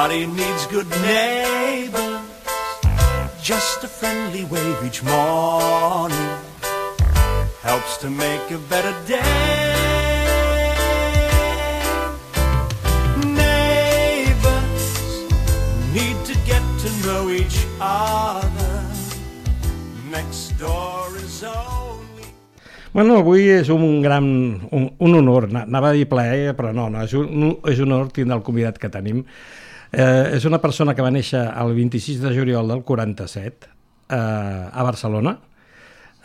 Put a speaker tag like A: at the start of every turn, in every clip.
A: Everybody needs good neighbors. Just a friendly wave each morning helps to make a better day. Neighbors need to get to know each other. Next door is only...
B: Bueno, avui és un honor, anava a dir plaer, però no, és un honor tindre el convidat que tenim. És una persona que va néixer el 26 de juliol del 47 a Barcelona.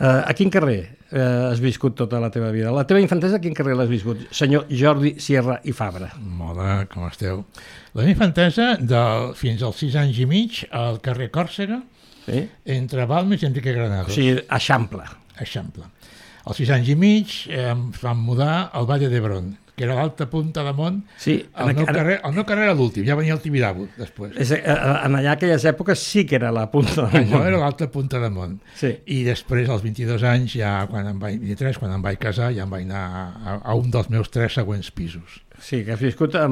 B: A quin carrer has viscut tota la teva vida? La teva infantesa a quin carrer l'has viscut? Senyor Jordi Sierra i Fabra.
C: Hola, com esteu? La meva infantesa fins als 6 anys i mig al carrer Còrsega, sí? Entre Balmes i Enrique Granados.
B: O sigui, Eixample.
C: Eixample. Als 6 anys i mig ens vam mudar al Valle d'Hebron, que era l'alta punta de Mont. Sí, el meu carrer era l'últim, ja venia el Tibidabo després.
B: En allà aquelles èpoques sí que era la punta de Mont.
C: Allò era l'alta punta de Mont. Sí. I després, als 22 anys, ja quan em vaig casar, ja em vaig anar a un dels meus 3 següents pisos.
B: Sí, que has viscut a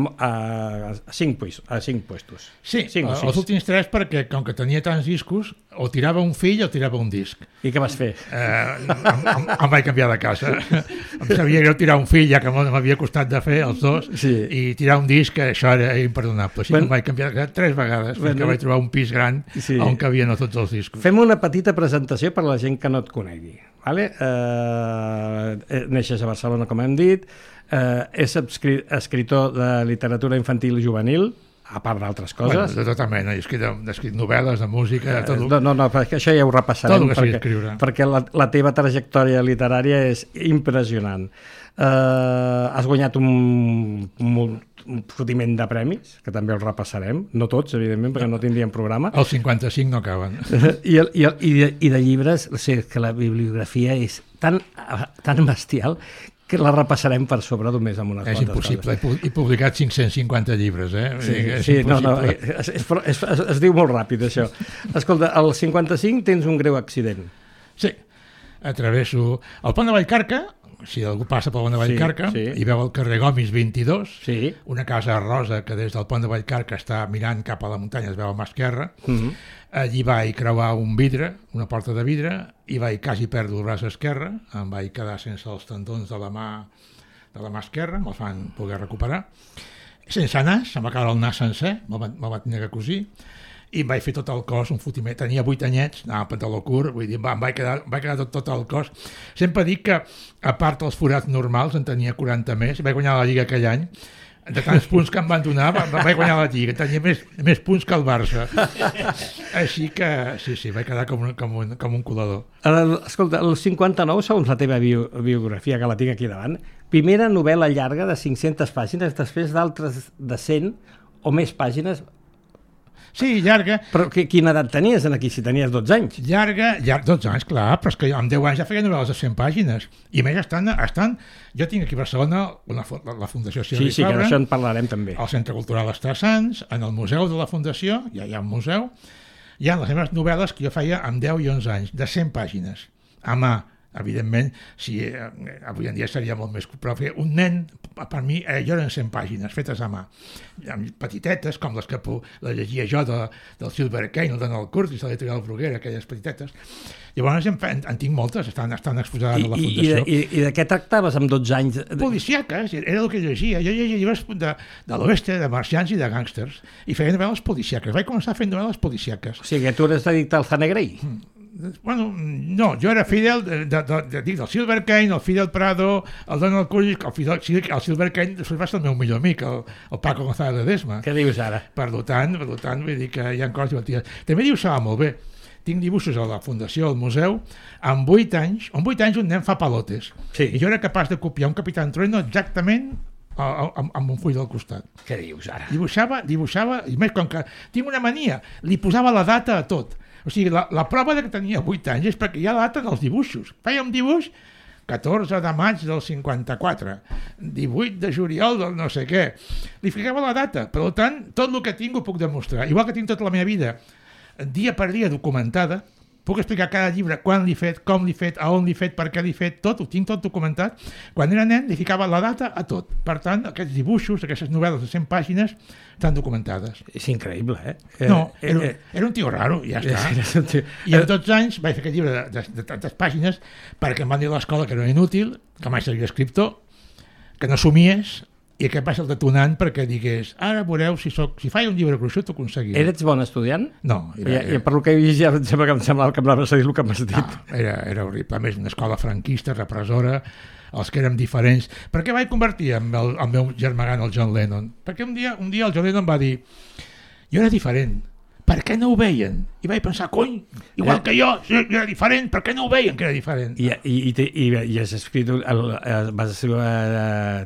B: 5 puestos.
C: Sí, els últims 3 perquè, com que tenia tants discos, o tirava un fill o tirava un disc.
B: I què vas fer?
C: Em vaig canviar de casa. Em sabia greu tirar un fill, ja que m'havia costat de fer els dos, sí. I tirar un disc, això era imperdonable. Així que em vaig canviar de casa 3 vegades, fins que vaig trobar un pis gran on cabien tots els discos.
B: Fem una petita presentació per a la gent que no et conegui. Vale? Neixes a Barcelona, com hem dit, és escriptor de literatura infantil i juvenil, a part d'altres coses.
C: Bueno, de tota mena, he escrit novel·les, de música...
B: No, perquè això ja ho repassarem, perquè la teva trajectòria literària és impressionant. Has guanyat un fotiment de premis, que també els repassarem, no tots, evidentment, perquè no tindríem programa.
C: Els 55 no acaben.
B: I de llibres, o sigui, que la bibliografia és tan bestial que la repassarem per sobre només amb unes quantes coses.
C: És impossible, he publicat 550 llibres,
B: Sí, es diu molt ràpid, això. Escolta, al 55 tens un greu accident.
C: Sí, atravesso el pont de Vallcarca, si algú passa pel pont de Vallcarca, i veu el carrer Gomis 22, una casa rosa que des del pont de Vallcarca està mirant cap a la muntanya, es veu a mà esquerra. Allí vaig creuar un vidre, una porta de vidre, i vaig quasi perdre el braç esquerre, em vaig quedar sense els tendons de la mà esquerra, me'l fan poder recuperar. Sense nas, em va caure el nas sencer, me'l va tenir que cosir, i em vaig fer tot el cos un fotiment. Tenia 8 anyets, anava a pantaló curt, vull dir, em vaig quedar tot el cos. Sempre dic que, a part dels forats normals, en tenia 40 més, i vaig guanyar la Lliga aquell any. De tants punts que em van donar, vaig guanyar la Lliga, tenia més punts que el Barça. Així que, sí, vaig quedar com un colador.
B: Escolta, el 59, segons la teva biografia, que la tinc aquí davant, primera novel·la llarga de 500 pàgines, després d'altres de 100 o més pàgines.
C: Sí, llarga.
B: Però quina edat tenies aquí, si tenies 12 anys?
C: Llarga, 12 anys, clar, però és que amb 10 anys ja feia novel·les de 100 pàgines. I més estan... Jo tinc aquí a Barcelona la Fundació Sierra i Fabra.
B: Sí, que d'això en parlarem també.
C: Al Centre Cultural Estar Sants, en el Museu de la Fundació, ja hi ha un museu, hi ha les meves novel·les que jo feia amb 10 i 11 anys, de 100 pàgines, a mà. Evidentment, avui en dia seria molt més... Però un nen, per mi, jo eren 100 pàgines fetes a mà, petitetes, com les que la llegia jo del Silver Kane, el Donald Curtis, de l'editorial Bruguera, aquelles petitetes. Llavors en tinc moltes, estan exposades a la Fundació.
B: I de què tractaves amb 12 anys?
C: Policíaques, era el que llegia. Jo llegia llibres de l'oeste, de marcians i de gàngsters, i feia novel·les policíaques. Vaig començar fent novel·les policíaques.
B: O sigui, tu eres addicte al Zanegrey?
C: Bueno, no, jo era fidel del Silver Kane, el Fidel Prado, el Donald Curtis, el Silver Kane després va ser el meu millor amic, el Paco González Ledesma.
B: Què dius ara?
C: Per tant, vull dir que hi ha coses divertides. També dibuixava molt bé. Tinc dibuixos a la Fundació, al museu, amb 8 anys un nen fa palotes. I jo era capaç de copiar un Capitán Trueno exactament amb un full del costat.
B: Què dius ara?
C: Dibuixava, i més, com que tinc una mania, li posava la data a tot. O sigui, la prova que tenia 8 anys és perquè hi ha data en els dibuixos. Feia un dibuix 14 de maig del 54, 18 de juliol del no sé què. Li ficava la data, per tant, tot el que tinc ho puc demostrar. Igual que tinc tota la meva vida, dia per dia documentada, puc explicar cada llibre, quan l'he fet, com l'he fet, a on l'he fet, per què l'he fet, tot, ho tinc tot documentat. Quan era nen li ficava la data a tot. Per tant, aquests dibuixos, aquestes novel·les de 100 pàgines estan documentades.
B: És increïble,
C: No, era un tio raro, ja està. I amb 12 anys vaig fer aquest llibre de tantes pàgines perquè em van dir a l'escola que era inútil, que mai seria escriptor, que no somies, i aquest va ser el detonant perquè digués ara veureu si faig un llibre gruixut ho aconseguiré.
B: Eres bon estudiant?
C: No.
B: I per lo que he vist ja em semblava que m'anaves a dir el que m'has dit.
C: No, era horrible. A més, una escola franquista, repressora, els que érem diferents. Per què vaig convertir el meu germà gran, el John Lennon? Perquè un dia el John Lennon va dir jo era diferent, per què no ho veien? I vaig pensar, cony, igual que jo era diferent, per què no ho veien que era diferent?
B: I has escrit, vas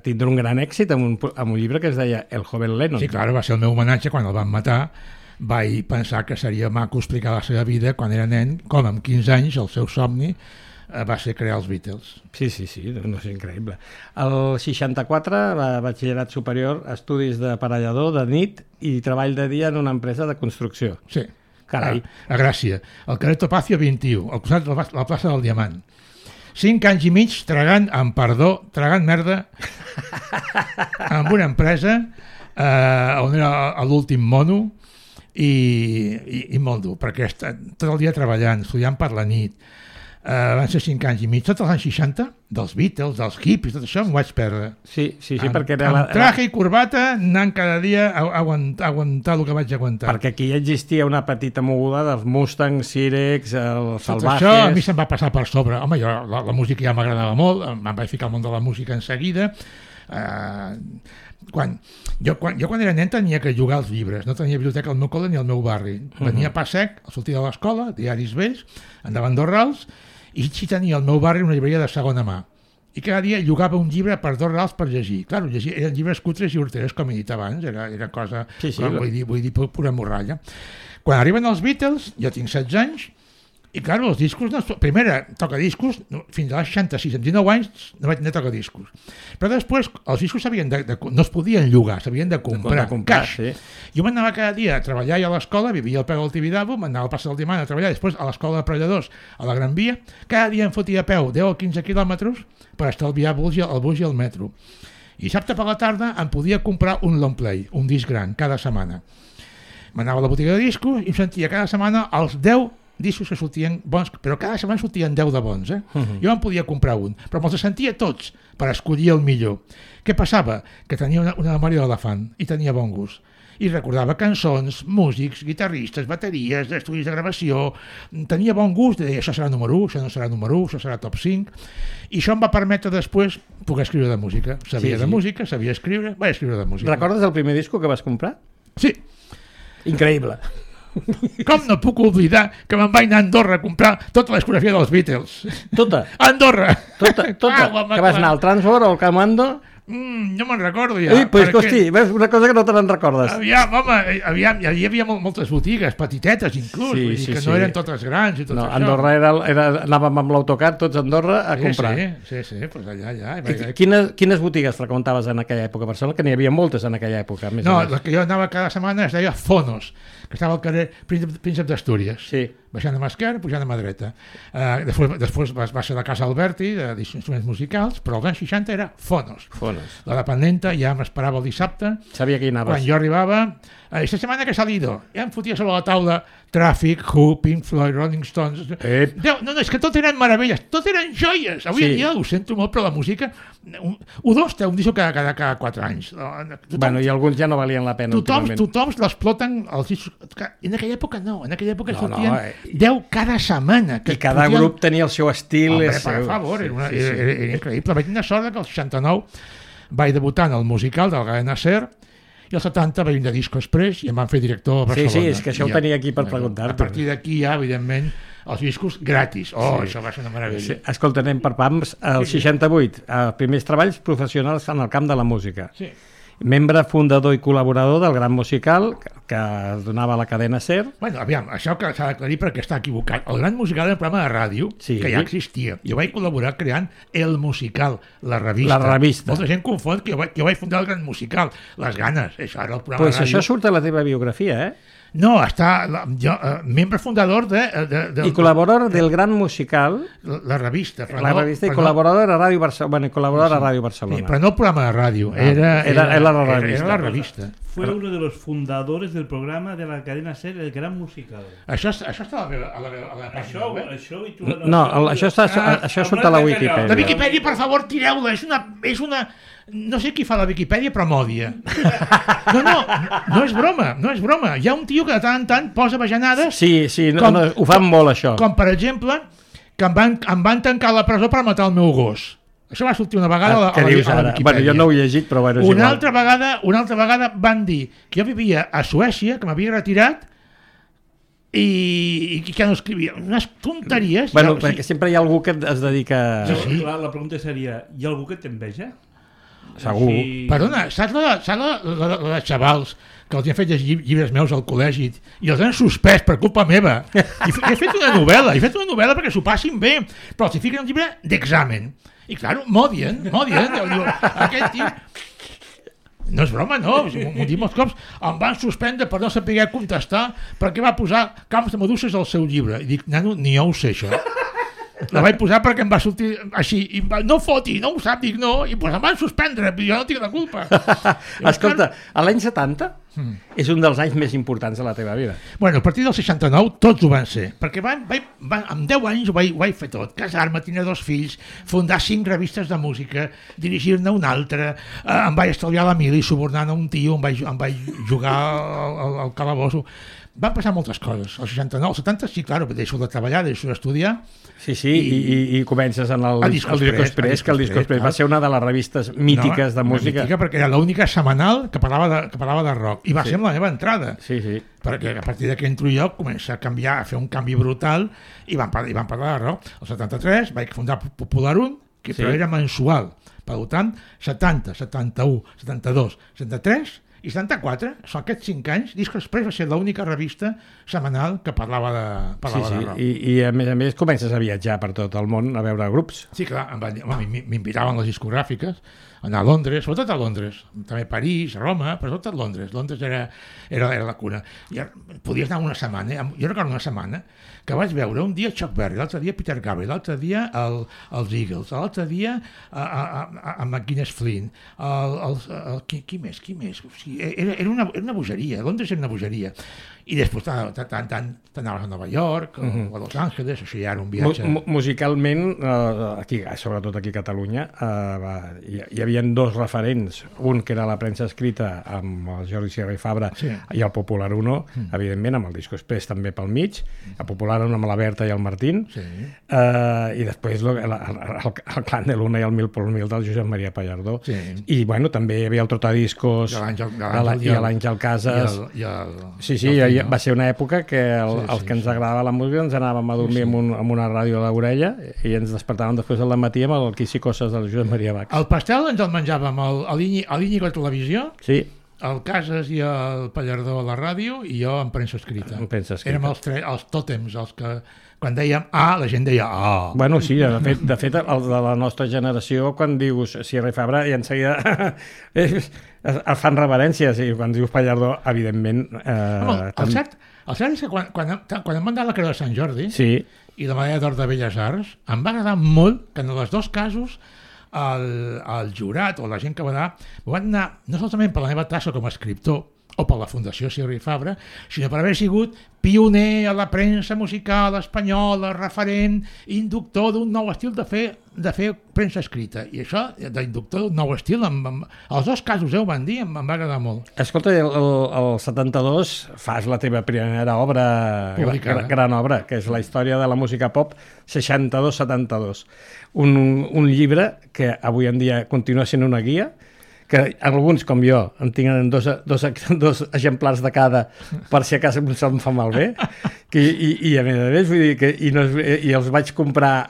B: tindre un gran èxit amb un llibre que es deia El joven Lennon.
C: Sí, clar, va ser el meu homenatge quan el van matar. Vaig pensar que seria maco explicar la seva vida quan era nen, com amb 15 anys el seu somni va ser crear els Beatles.
B: Sí, no és increïble. El 64, batxillerat superior, estudis d'aparellador de nit i treball de dia en una empresa de construcció.
C: Sí.
B: Carai.
C: A Gràcia, al carrer Topacio 21, al costat de la plaça del Diamant. 5 anys i mig tragant merda amb una empresa on era l'últim mono i molt dur, perquè tot el dia treballant, estudiant per la nit. Van ser 5 anys i mig, tots els anys 60, dels Beatles, dels hippies, tot això m'ho vaig perdre.
B: Sí, perquè era...
C: Amb traje i corbata, anant cada dia a aguantar el que vaig aguantar.
B: Perquè aquí ja existia una petita moguda dels Mustangs, Sirex, els Salvajes...
C: Tot això a mi se'm va passar per sobre. Home, jo la música ja m'agradava molt, em vaig ficar al món de la música en seguida. Quan era nen tenia que jugar als llibres, no tenia biblioteca al meu col·le ni al meu barri. Venia a pas sec, sortia de l'escola, diaris vells, andava a Andorrals, i sí tenia al meu barri una llibreria de segona mà. I cada dia llogava un llibre per $2 per llegir. Clar, eren llibres cutres i horteres, com he dit abans, era cosa, vull dir, pura morralla. Quan arriben els Beatles, jo tinc 16 anys, i clar, els discos, primera tocadiscos, fins als 66, amb 19 anys no vaig anar a tocadiscos. Però després els discos no es podien llogar, s'havien de comprar, caix. Sí. Jo m'anava cada dia a treballar a l'escola, vivia al peu del Tibidabo, m'anava al Plaça del Diamant a treballar, després a l'escola d'aparelladors a la Gran Via, cada dia em fotia a peu 10 o 15 quilòmetres per estalviar el bus i el metro. I dissabte per la tarda em podia comprar un long play, un disc gran, cada setmana. M'anava a la botiga de discos i em sentia cada setmana els 10 discos que sortien bons, però cada setmana sortien 10 de bons. Jo em podia comprar un, però me'ls sentia tots per escollir el millor. Què passava? Que tenia una memòria d'elefant i tenia bon gust. I recordava cançons, músics, guitarristes, bateries, estudis de gravació, tenia bon gust, deia això serà número 1, això no serà número 1, això serà top 5, i això em va permetre després poder escriure de música. Sabia de música, sabia escriure, vaig escriure de música.
B: Recordes el primer disco que vas comprar?
C: Sí.
B: Increïble.
C: Com no puc oblidar que me'n vaig anar a Andorra a comprar tota la discografia dels Beatles?
B: Tota?
C: A Andorra!
B: Tota? Que vas anar al Transworld o al Camando?
C: No me'n recordo ja.
B: Pues, hosti, ves, una cosa que no te n'en recordes.
C: Aviam, hi havia moltes botigues, petitetes inclús, vull dir que no eren totes grans i tot això.
B: Andorra anàvem amb l'autocar tots a Andorra a comprar.
C: Sí, pues allà.
B: Quines botigues freqüentaves en aquella època? Personal, que n'hi havia moltes en aquella època.
C: No, la que jo anava cada setmana es deia Fonos, que estava al carrer Príncep d'Astúries.
B: Sí.
C: Baixant a mà esquerra, pujant a mà dreta. Després va ser la Casa Alberti, d'instruments musicals, però als anys 60 era Fonos. La dependenta ja m'esperava el dissabte.
B: Sabia que hi anaves.
C: Quan jo arribava, esta setmana que ha salido, ja em fotia sobre la taula Traffic, Who, Pink Floyd, Rolling Stones... No, és que tot eren meravelles, tot eren joies. Avui en dia ho sento molt, però la música... U2 té un disc cada 4 anys.
B: Bueno, i alguns ja no valien la pena últimament.
C: Tothom l'exploten els discos... En aquella època no, en aquella època sortien 10 cada setmana.
B: I cada grup tenia el seu estil.
C: Per favor, era increïble. Vaig tenir sort que el 69 vaig debutar en el musical del Gael Nasser, i el 70 vaig venir de Disco Express i em van fer director a Barcelona.
B: Sí, és que això ho tenia aquí per preguntar-te.
C: A partir d'aquí ja, evidentment, els discos gratis. Això va ser una meravella.
B: Escolta, anem per pams. El 68, primers treballs professionals en el camp de la música.
C: Sí.
B: membre fundador i col·laborador del Gran Musical que es donava a la cadena SER.
C: Bueno, aviam, això que s'ha d'aclarir perquè està equivocat. El Gran Musical era un programa de ràdio que ja existia. Jo vaig col·laborar creant El Musical, la revista.
B: La revista.
C: Molta gent confon que jo vaig fundar el Gran Musical. Les ganes, això era el programa de ràdio.
B: Això surt a la teva biografia,
C: No, està membre fundador
B: i col·laborador del Gran Musical,
C: la revista.
B: La revista i col·laborador a Ràdio Barcelona. Col·laborador a Ràdio Barcelona.
C: Sí, però no el programa de ràdio, era la revista.
D: Fue uno de los fundadores del programa de la cadena SER, El Gran Musical.
C: Això està a la pàgina web?
B: Això surt a la Wikipedia.
C: La Wikipedia, per favor, tireu-la. És una... No sé qui fa la Wikipedia, però m'odia. No és broma. Hi ha un tio que de tant en tant posa bajanades...
B: Sí, ho fan molt, això.
C: Com, per exemple, que em van tancar a la presó per matar el meu gos. Això va sortir una vegada a la Wikipedia.
B: Bueno, jo no ho he llegit, però bueno, és
C: igual. Una altra vegada van dir que jo vivia a Suècia, que m'havia retirat, i que no escrivia unes tonteries.
B: Bueno, perquè sempre hi ha algú que es dedica...
D: Sí. La pregunta seria, hi ha algú que t'enveja?
B: Segur.
C: Perdona, saps la de xavals que els han fet llegir llibres meus al col·legi i els han suspès per culpa meva? I he fet una novel·la perquè s'ho passin bé, però els hi fiquen un llibre d'examen. I clar, m'odien. Aquest tio... No és broma, no. M'ho dic molts cops. Em van suspendre per no saber contestar perquè va posar camps de meduses al seu llibre. I dic, nano, ni jo ho sé, això. La vaig posar perquè em va sortir així. I no foti, no ho sap. Dic, no. I doncs em van suspendre, però jo no tinc la culpa.
B: Escolta, a l'any 70 és un dels anys més importants de la teva vida.
C: Bueno, a partir del 69 tots ho van ser. Perquè amb 10 anys ho vaig fer tot. Casar-me, tenir 2 fills, fundar 5 revistes de música, dirigir-ne una altra, em vaig estalviar la mili subornant a un tio, em vaig jugar al calabosso. Van passar moltes coses. El 69, el 70, sí, clar, deixo de treballar, deixo d'estudiar.
B: Sí, i comences en el Disco Express, que el Disco Express va ser una de les revistes mítiques de música.
C: Mítica perquè era l'única setmanal que parlava de rock. I va ser amb la meva entrada.
B: Sí.
C: Perquè a partir que entro jo comença a canviar, a fer un canvi brutal i van parlar de rock. El 73 vaig fundar Popular 1, però era mensual. Per tant, 70, 71, 72, 73... I 74, són aquests 5 anys, Disco Express va ser l'única revista setmanal que parlava de rock.
B: I a més comences a viatjar per tot el món a veure grups.
C: Sí, clar, m'invitaven les discogràfiques, anar a Londres, sobretot a Londres, també París, Roma, però sobretot Londres. Londres era la cuna. I podies anar una setmana, jo recordo una setmana, que vaig veure un dia Chuck Berry, l'altre dia Peter Gabriel, l'altre dia els Eagles, l'altre dia a McGuinness Flynn, qui més? O sigui, era una bogeria, Londres era una bogeria. I després t'anaves a Nova York o a Los Angeles, o sigui, ara un viatge...
B: Musicalment, sobretot aquí a Catalunya, hi havia 2 referents, un que era la premsa escrita amb el Jordi Sierra i Fabra i el Popular 1, evidentment, amb el Disco Express també pel mig, el Popular 1 amb la Berta i el Martín, i després el Clan de Luna i el Mil por Mil del Josep Maria Pallardó. I bueno, també hi havia el Trotadiscos i l'Àngel Casas. Sí, va ser una època que els que ens agradava la música ens anàvem a dormir amb una ràdio a l'orella i ens despertàvem després del matí amb el Quis i Coses del Josep Maria Bach.
C: El pastel ens el menjàvem a l'Íñigo a televisió, el Casas i el Pallardó a la ràdio i jo en premsa escrita. Érem els tòtems, els que quan dèiem A, la gent deia A.
B: Bueno, sí, de fet, el de la nostra generació, quan dius Sierra i Fabra, i en seguida fan reverències, i quan dius Pallardó, evidentment...
C: El cert és que quan em van dar la Creu de Sant Jordi i la Medalla d'Or de Belles Arts, em va agradar molt que en els 2 casos el jurat o la gent que va anar m'ho van anar no solament per la meva tasca com a escriptor o per la Fundació Sierra i Fabra, sinó per haver sigut pioner a la premsa musical espanyola, referent, inductor d'un nou estil de fer premsa escrita. I això, d'inductor d'un nou estil, els 2 casos ho van dir, em va agradar molt.
B: Escolta, el 72 fas la teva primera obra, gran obra, que és la història de la música pop 62-72. Un llibre que avui en dia continua sent una guia, que alguns, com jo, en tenen dos exemplars de cada per si a casa se'm fa malbé, i a més, vull dir que i els vaig comprar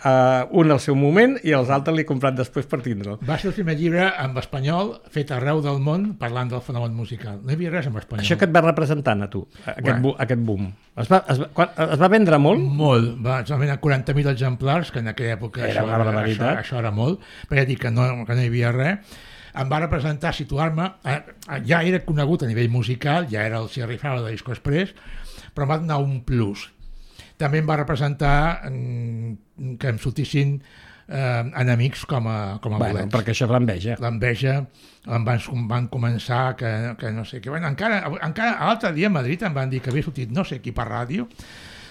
B: un al seu moment i els altres l'he comprat després per tindre'l.
C: Va ser el primer llibre en espanyol fet arreu del món parlant del fenomen musical. No hi havia res en espanyol.
B: Això que et va representant a tu, aquest boom. Es va vendre molt?
C: Molt. Va vendre 40.000 exemplars, que en aquella època això era molt, però ja dic que no hi havia res. Em va representar, situar-me, ja era conegut a nivell musical, ja era el Sierra Fabra de Disco Express, però em va donar un plus. També em va representar que em sortissin enemics com a bolets.
B: Perquè això és l'enveja.
C: L'enveja, van començar que no sé què. Bueno, encara l'altre dia a Madrid em van dir que havia sortit no sé qui per ràdio,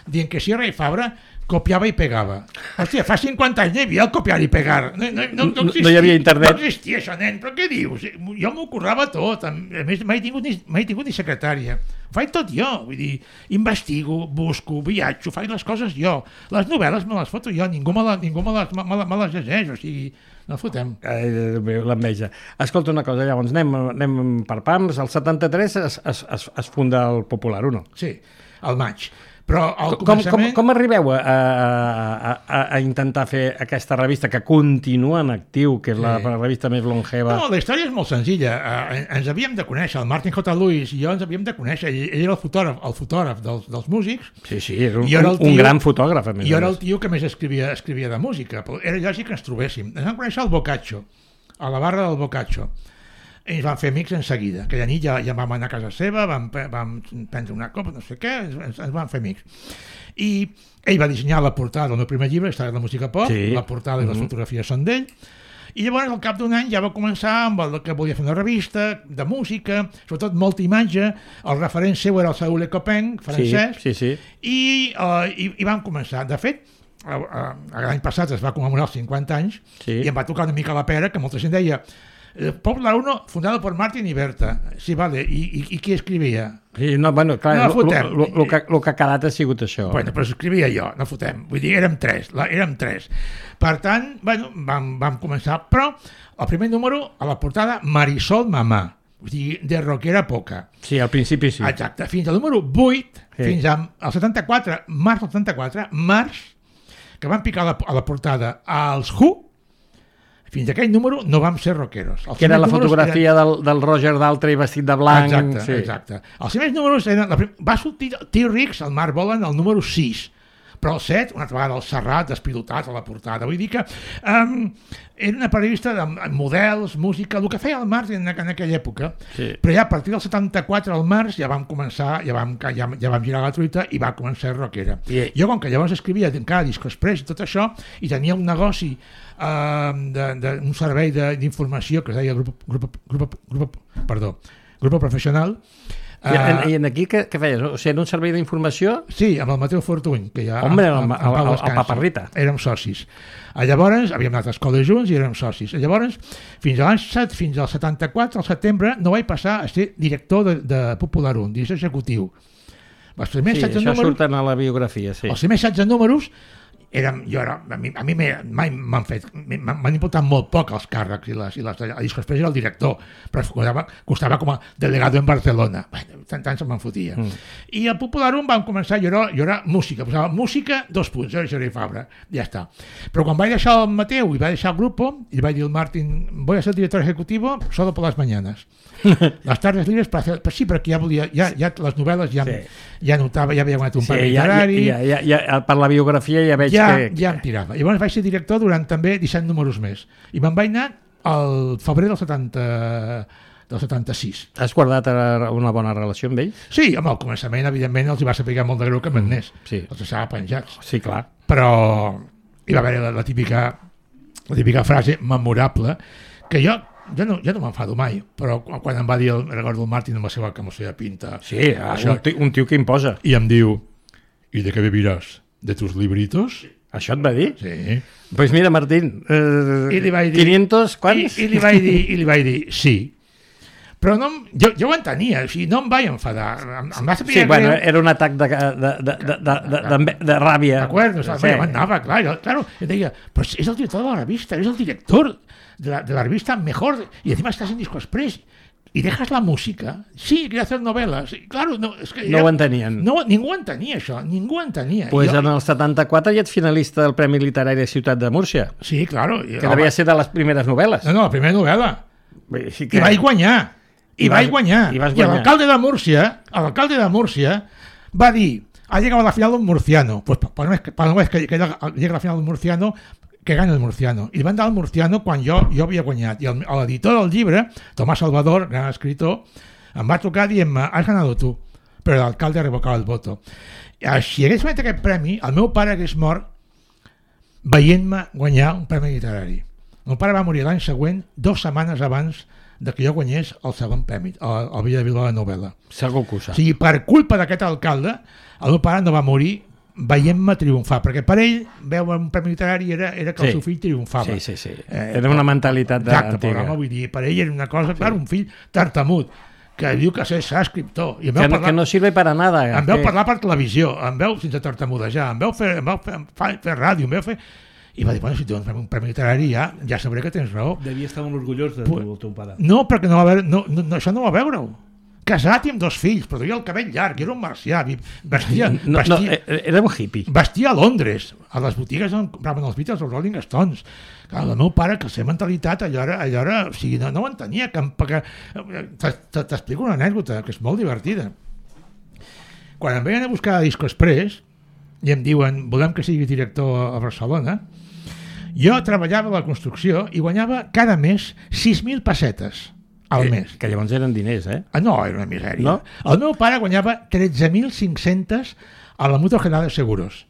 C: dient que Sierra Fabra copiava i pegava. Hòstia, fa 50 anys no hi havia el copiar i pegar. No
B: hi havia internet.
C: No existia això, nen, però què dius? Jo m'ho currava tot. A més, mai he tingut ni secretària. Ho faig tot jo. Vull dir, investigo, busco, viatjo, faig les coses jo. Les novel·les me les foto jo, ningú me les llegeix, o sigui, no fotem.
B: L'enveja. Escolta una cosa, llavors anem per pams. El 73 es funda el Popular, o no?
C: Sí, al maig. Però al començament...
B: Com arribeu a intentar fer aquesta revista que continua en actiu, que és la revista més longeva?
C: No, la història és molt senzilla. Ens havíem de conèixer, el Martin J. Lewis i jo ens havíem de conèixer. Ell era el fotògraf dels músics.
B: Sí, era un gran fotògraf.
C: Jo era el tio que més escrivia de música. Però era lògic que ens trobéssim. Ens vam conèixer al Boccaccio, a la barra del Boccaccio. I ens vam fer amics en seguida. Aquella nit ja vam anar a casa seva, vam prendre una copa, no sé què, ens vam fer amics. I ell va dissenyar la portada del meu primer llibre, Història de la música pop, la portada i les fotografies són d'ell, i llavors al cap d'un any ja va començar amb el que volia fer una revista de música, sobretot molta imatge, el referent seu era el Saúl Ecopeng, francès, i vam començar. De fet, l'any passat es va commemorar els 50 anys i em va tocar una mica la pera, que molta gent deia Popular 1, fundado por Martin y Berta. Sí, vale. I qui escrivia?
B: Sí, no, bueno, clar, el que ha quedat ha sigut això.
C: Bueno, però escrivia jo, no fotem. Vull dir, érem tres. Per tant, bueno, vam començar. Però el primer número, a la portada, Marisol Mamà. Vull dir, de rockera poca.
B: Sí, al principi sí.
C: Exacte. Fins al número 8, fins al 74, març, que van picar a la portada als Who. Fins aquell número no vam ser rockeros.
B: Que era la fotografia del Roger Daltrey vestit de blanc.
C: Exacte. Els primers números eren... Va sortir T-Rex, el Marc Bolan, el número 6. Però el 7, una altra vegada el Serrat, despilotat a la portada. Vull dir que era una periodista de models, música, el que feia el Marc en aquella època. Sí. Però ja a partir del 74, al març, ja vam començar, ja vam girar la truita i va començar a ser rockera. Jo, com que llavors escrivia encara Disco Express i tot això, i tenia un negoci, un servei d'informació que es deia Grupo Professional.
B: I aquí què feies? O sigui, en un servei d'informació?
C: Sí, amb el Mateu Fortuny, que ja...
B: Home, el Paparrita.
C: Érem socis. Llavors, havíem anat a escola junts i érem socis. Llavors, fins al 74, al setembre, no vaig passar a ser director de Popular 1, director executiu. Els primers 16 números...
B: Això surten a la biografia, sí.
C: Els primers 16 números... a mi mai m'han importat molt poc els càrrecs i Disco Express era el director, però costava com a delegado en Barcelona. Tant se'm fotia. I al Popular 1 vam començar, jo era música, posava música, 2 punts, Jordi Fabra, ja està. Però quan vaig deixar el Mateu i vaig deixar el grupo, i vaig dir al Martín, voy a ser director ejecutivo solo por las mañanas. Les tardes libres, sí, perquè ja volia, ja les novel·les ja notava, ja havia guanyat un premi literari.
B: Per la biografia ja veig que...
C: Ja em tirava. Llavors vaig ser director durant també 17 números més. I me'n vaig anar al febrer del 76.
B: Has guardat una bona relació amb ells?
C: Sí, al començament, evidentment, els hi va saber molt de greu que m'anés. Els deixava penjats.
B: Sí, clar.
C: Però hi va haver la típica frase memorable que jo no m'enfado mai, però quan em va dir recordo el Martín amb la seva pinta...
B: Sí, un tio que imposa.
C: I em diu, ¿y de qué beberás? ¿De tus libritos?
B: Això et va dir?
C: Sí.
B: Pues mira, Martín, 500, quants?
C: I li vaig dir, sí. Però no, jo ho entenia, o sigui, no em vaig enfadar. Em va
B: sí, bueno, era un atac de ràbia.
C: D'acord, m'anava, clar, jo deia, però és el director de la revista, és el director de la revista mejor, y encima estás en Disco Express, y dejas la música. Sí, quiere hacer novelas. Claro, no, es que
B: no ho entenien.
C: No, ningú entenia això, ningú entenia.
B: Pues en el 74 ja ets finalista del Premi Literari de Ciutat de Múrcia.
C: Sí, claro.
B: Que devia ser de les primeres novel·les.
C: No, la primera novel·la.
B: Sí que...
C: I vaig guanyar. I l'alcalde de Múrcia va dir, ha llegado a la final un murciano. Pues para una vez que llega a la final un murciano, que gana el murciano. I li van dar el murciano quan jo havia guanyat. I l'editor del llibre, Tomás Salvador, gran escritor, em va trucar dient-me, has ganado tu. Però l'alcalde ha revocat el voto. Si hagués guanyat aquest premi, el meu pare hagués mort veient-me guanyar un premi literari. El meu pare va morir l'any següent, 2 setmanes abans de que jo guanyés el segon premi, el Villa de Bilbao de novel·la.
B: Segur que ho sap.
C: O sigui, per culpa d'aquest alcalde, el meu pare no va morir veient-me triomfar, perquè per ell veure un premi literari era que el seu fill triomfava.
B: Sí. Era una mentalitat
C: antiga. Exacte, vull dir, per ell era una cosa, clar, un fill tartamut, que diu que serà escriptor.
B: Que no sirve para nada.
C: Em veu parlar per televisió, em veu sense tartamudejar, em veu fer ràdio, em veu fer... I va dir, bueno, si tu dones un premi literari ja sabré que tens raó.
D: Devia estar molt orgullós del teu pare.
C: No, perquè això no va veure-ho. Casat i amb 2 fills, però duia el cabell llarg, era un marcià,
B: era un hippie.
C: Vestia a Londres, a les botigues on compraven els Beatles o els Rolling Stones. Clar, el meu pare, que la seva mentalitat allò era, o sigui, no ho entenia. T'explico una anècdota, que és molt divertida. Quan em veien a buscar a Disco Express i em diuen, volem que sigui director a Barcelona, jo treballava a la construcció i guanyava cada mes 6.000 pessetes. Al mes.
B: Que llavors eren diners, eh?
C: No, era una misèria.
B: No?
C: El meu pare guanyava 13.500 a la Mutua General de Seguros.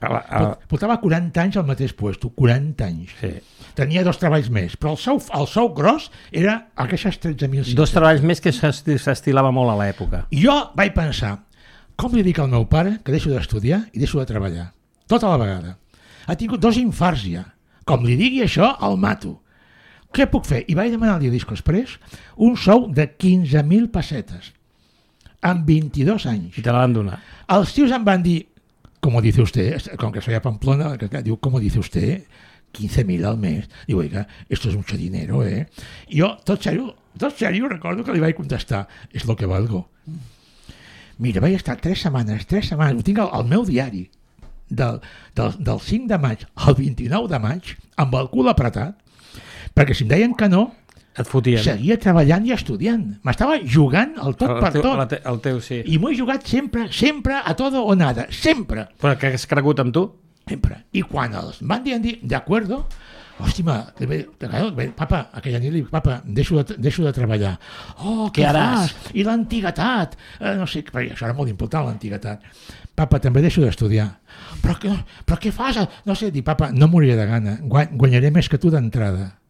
C: Portava 40 anys al mateix puesto, 40 anys.
B: Sí.
C: Tenia 2 treballs més, però el sou gros era aquestes 13.500.
B: 2 treballs més que s'estilava molt a l'època.
C: Jo vaig pensar, com li dic al meu pare que deixo d'estudiar i deixo de treballar? Tota la vegada. Ha tingut 2 infarts ja. Com li digui això, el mato. Què puc fer? I vaig demanar al Disco Express un sou de 15.000 pessetes amb 22 anys.
B: I te la van donar.
C: Els tios em van dir, como dice usted, com que soy a Pamplona, diu, como dice usted, 15.000 al mes. Diu, oiga, esto es mucho dinero, ¿eh? I jo, tot serio, recordo que li vaig contestar, és lo que valgo. Mira, vaig estar 3 setmanes, ho tinc al meu diari, del 5 de maig al 29 de maig, amb el cul apretat, perquè si em deien que no,
B: et fotien.
C: Seguia treballant i estudiant. M'estava jugant el tot per tot.
B: El teu, sí.
C: I m'ho he jugat sempre, a todo o nada, sempre.
B: Però que has cregut amb tu?
C: Sempre. I quan els van dir, de acuerdo, hòstima, papa, aquella nit li dic, papa, deixo de treballar. Oh, què fas? I l'antiguitat. No sé, això era molt important, l'antiguitat. Papa, també deixo d'estudiar. Però què fas? No sé, dic, papa, no moriré de gana. Guanyaré més que tu d'entrada.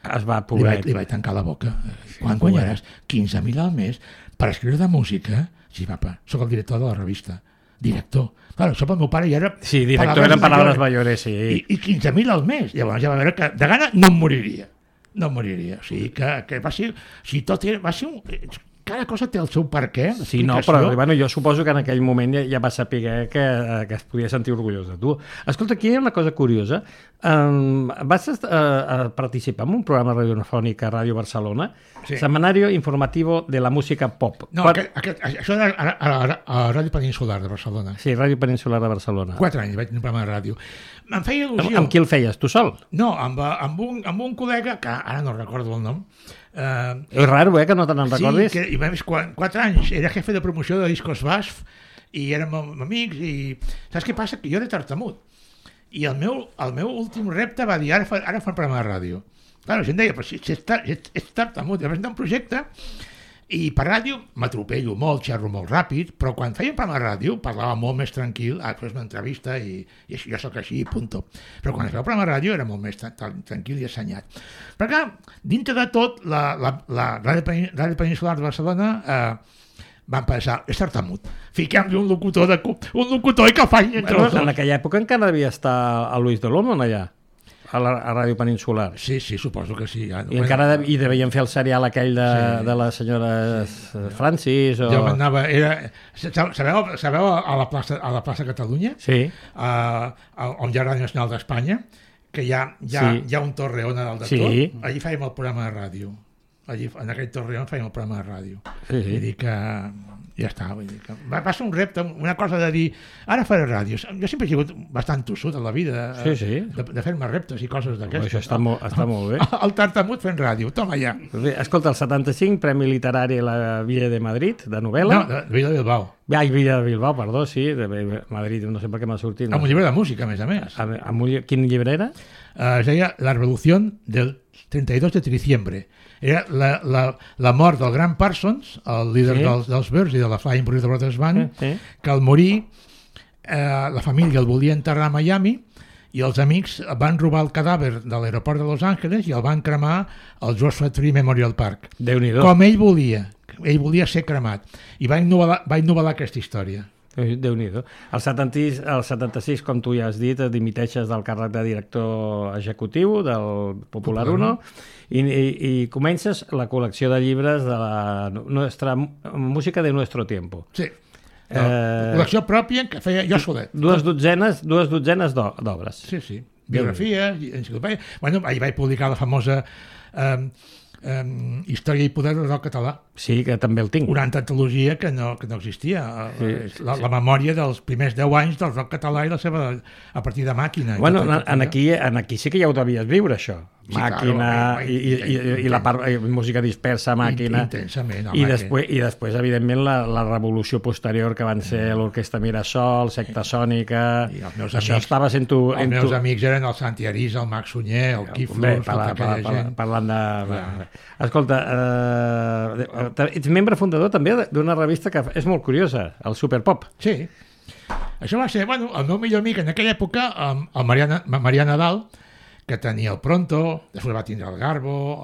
B: Es va, pobret.
C: Li vaig tancar la boca. Quan guanyaràs 15.000 al mes per escriure de música? Sí, papa, sóc el director de la revista. Director. Clar, això pel meu pare ja era...
B: Sí, director eren paraules mayores, sí.
C: I 15.000 al mes. Llavors ja va veure que de gana no em moriria. No em moriria. O sigui, que va ser... O sigui, tot era... Va ser un... Cada cosa té el seu perquè.
B: Sí, no, però bueno, jo suposo que en aquell moment ja va saber que es podia sentir orgullós de tu. Escolta, aquí hi ha una cosa curiosa. Vas participar en un programa radiofònic a Ràdio Barcelona, sí. Semanario Informativo de la Música Pop.
C: No, això era a Ràdio Peninsular de Barcelona.
B: Sí, Ràdio Peninsular de Barcelona.
C: 4 anys vaig tenir un programa de ràdio. Em feia il·lusió.
B: Amb qui el feies? Tu sol?
C: No, amb un col·lega, que ara no recordo el nom.
B: És raro, que no te n'en recordis?
C: Sí, i a més 4 anys era jefe de promoció de Discos BASF i érem amics i saps què passa? Que jo era tartamut i el meu últim repte va dir ara fa un programa de ràdio. Clar, la gent deia, però si ets tartamut, i vaig anar un projecte i per ràdio m'atropello molt, xerro molt ràpid, però quan feia un programa de ràdio parlava molt més tranquil, fes una entrevista i jo sóc així, punto. Però quan feia un programa de ràdio era molt més tranquil i assenyat. Però clar, dintre de tot, la Ràdio Peninsular de Barcelona van pensar, és tartamut, fiquem-li un locutor i que el faci entre els dos.
B: En aquella època encara devia estar a Luis de Lomond allà. a Ràdio Peninsular.
C: Sí, suposo que sí.
B: I encara hi devien fer el serial aquell de la senyora Francis.
C: Jo m'anava... Sabeu a la plaça Catalunya?
B: Sí.
C: On hi ha Ràdio Nacional d'Espanya, que hi ha un torreón a dalt de tot. Allí fèiem el programa de ràdio. En aquell torreón fèiem el programa de ràdio. Vull dir que ja està. Va ser un repte, una cosa de dir ara faré ràdio. Jo sempre he sigut bastant tossut a la vida de fer-me reptes i coses d'aquestes.
B: Això està molt bé.
C: El tartamut fent ràdio, toma ja.
B: Escolta, el 75, Premi Literari a la Villa de Madrid, de novel·la.
C: No, de Villa de Bilbao.
B: Villa de Bilbao, perdó, sí, de Madrid, no sé per què m'ha sortit.
C: Amb un llibre de música, a més.
B: Quin llibre era?
C: Es deia La Revolució del 32 de diciembre. Era la mort del gran Parsons, el líder dels Birds i de la Flying Burrito Brothers Band, que al morir la família el volia enterrar a Miami i els amics van robar el cadàver de l'aeroport de Los Angeles i el van cremar al Joshua Tree Memorial Park.
B: Déu-n'hi-do.
C: Com ell volia ser cremat. I va innovar aquesta història.
B: Déu-n'hi-do. El 76, com tu ja has dit, dimiteixes del càrrec de director executiu del Popular 1 i comences la col·lecció de llibres de la nostra música de nuestro tiempo.
C: Sí. Col·lecció pròpia que feia jo solet.
B: Dues dotzenes d'obres.
C: Sí. Biografies, enciclopèdia. Bueno, ahir vaig publicar la famosa Història i poder del rock català.
B: Sí, que també el tinc.
C: Una antologia que no existia. La memòria dels primers 10 anys del rock català i la seva a partir de Màquina.
B: Bueno, aquí sí que ja ho devies viure, això. Màquina i la part música dispersa, Màquina.
C: Intensament.
B: I després, evidentment, la revolució posterior que van ser l'Orquestra Mirasol, Secta Sònica... Això estava sent tu...
C: Els meus amics eren el Santi Arisa, el Max Sunyer, el Quiflos, tota aquella gent.
B: Parlant de... Escolta, ets membre fundador també d'una revista que és molt curiosa, el Superpop.
C: Sí. Això va ser, el meu millor amic en aquella època, el Marià Nadal, que tenia el Pronto, després va tindre el Garbo...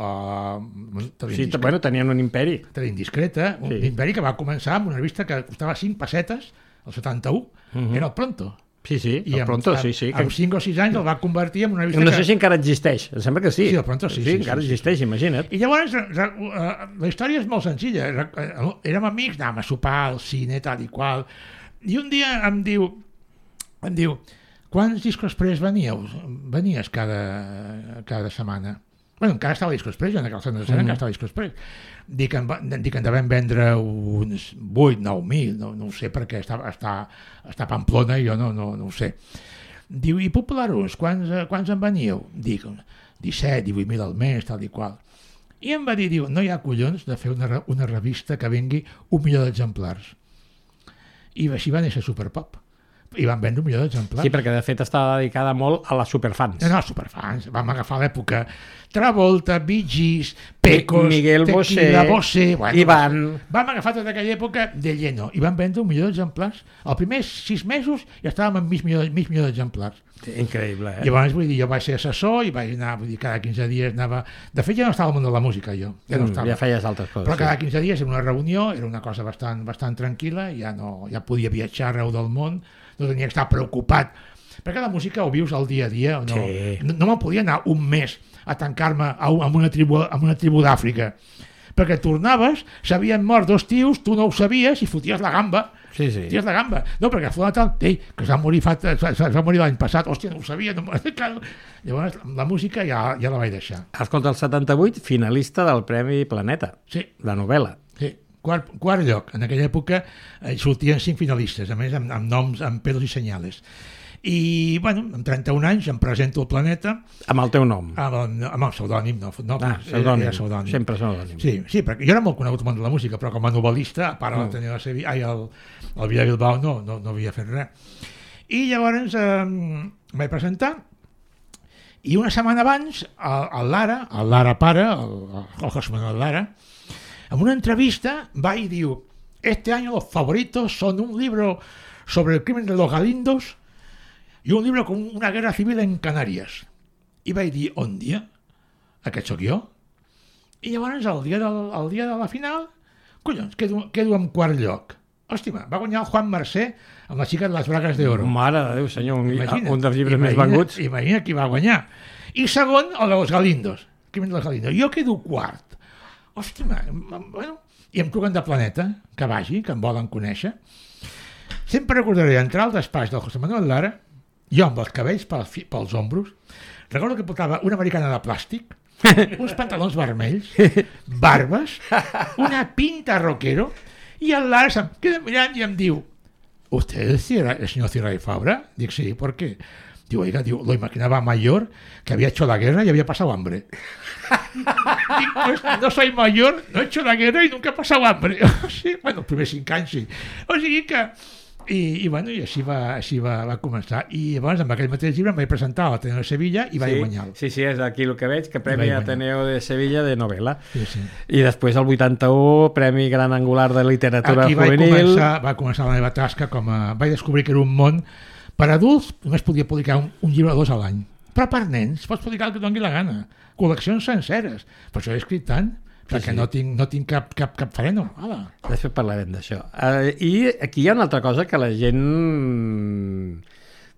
B: tenien un imperi.
C: Indiscreta, un imperi que va començar amb una revista que costava 5 pessetes, el 71, era el Pronto.
B: Sí, el Pronto, sí.
C: Amb 5 o 6 anys el va convertir en una revista...
B: No sé si encara existeix, em sembla que sí.
C: Sí, el Pronto sí.
B: Sí, encara existeix, imagina't.
C: I llavors, la història és molt senzilla. Érem amics, anàvem a sopar al cine, tal i qual, i un dia em diu, quants discos express venies cada setmana? Bueno, encara estava Disco Express, jo en aquell centre de encara estava Disco Express. Dic que en devem vendre uns 8, 9.000, no ho sé, perquè està a Pamplona i jo no ho sé. Diu, i Popular-Us, quants en veníeu? Dic, 17, 18.000 al mes, tal i qual. I em va dir, no hi ha collons de fer una revista que vengui 1 milió d'exemplars. I així va néixer Superpop. I van vendre 1 milió d'exemplars.
B: Sí, perquè de fet estava dedicada molt a les superfans.
C: No, superfans. Vam agafar l'època Travolta, Bee Gees, Pecos,
B: Miguel
C: Tequila, Bosé...
B: Ivan...
C: Vam agafar tota aquella època de lleno i van vendre 1 milió d'exemplars. Els primers 6 mesos ja estàvem amb mig milió d'exemplars.
B: Increïble, eh?
C: Llavors, vull dir, jo vaig ser assessor i vaig anar, cada 15 dies anava... De fet, ja no estava al món de la música, jo.
B: Ja feies altres coses.
C: Però cada 15 dies era una reunió, era una cosa bastant tranquil·la, ja podia viatjar arreu del món, no tenia que estar preocupat, perquè la música ho vius al dia a dia. No me'n podia anar un mes a tancar-me amb una tribu d'Àfrica, perquè tornaves, s'havien mort 2 tios, tu no ho sabies i foties la gamba.
B: Sí.
C: Foties la gamba. No, perquè fou tal, que es va morir l'any passat, hòstia, no ho sabia. Llavors, la música ja la vaig deixar.
B: Escolta, el 78, finalista del Premi Planeta, de novel·la.
C: Sí. Quart lloc. En aquella època sortien 5 finalistes, a més amb noms, amb pelos i senyales. I, amb 31 anys em presento al Planeta.
B: Amb el teu nom?
C: Amb el pseudònim, no.
B: Pseudònim. Sempre pseudònim.
C: Sí, perquè jo era molt conegut al món de la música, però com a novel·lista, a part de tenir el Villa Bilbao, no havia fet res. I llavors em vaig presentar, i una setmana abans, el Lara pare, el José Manuel Lara, en una entrevista va i diu: este año los favoritos son un libro sobre el crimen de los Galindos y un libro con una guerra civil en Canàries. I vaig dir, on dia? Aquest sóc jo? I llavors, el dia de la final, collons, quedo en quart lloc. Hòstia, va guanyar el Juan Mercè amb La xica de les bragues d'oro.
B: Mare de Déu, senyor, un dels llibres més venguts.
C: Imagina qui va guanyar. I segon, el dels Galindos. Jo quedo quart. Hòstia, bueno, i em truquen de Planeta, que vagi, que em volen conèixer. Sempre recordaré entrar al despatx del José Manuel Lara, jo amb els cabells pels ombros, recordo que portava una americana de plàstic, uns pantalons vermells, barbes, una pinta rockero, i el Lara se'm queda mirant i em diu: ¿Usted es el señor Cierra y Fabra? Digo, sí, ¿por qué? Digo, oiga, lo imaginaba mayor, que había hecho la guerra y había pasado hambre. Dic, pues no soy mayor, no he hecho la guerra y nunca he pasado hambre. Sí, bueno, els primers 5 anys sí. O sigui que... I bueno, i així va començar. I llavors, amb aquell mateix llibre, em vaig presentar a l'Ateneo de Sevilla i vaig guanyar-lo.
B: Sí, és aquí el que veig, que Premi Ateneo de Sevilla de novel·la.
C: Sí.
B: I després, el 81, Premi Gran Angular de Literatura Juvenil.
C: Aquí va començar la meva tasca vaig descobrir que era un món. Per adults només podia publicar un llibre o 2 a l'any. Però per nens pots publicar el que et doni la gana. Col·leccions senceres. Per això he escrit tant. Perquè no tinc cap freno.
B: Després parlarem d'això. I aquí hi ha una altra cosa que la gent...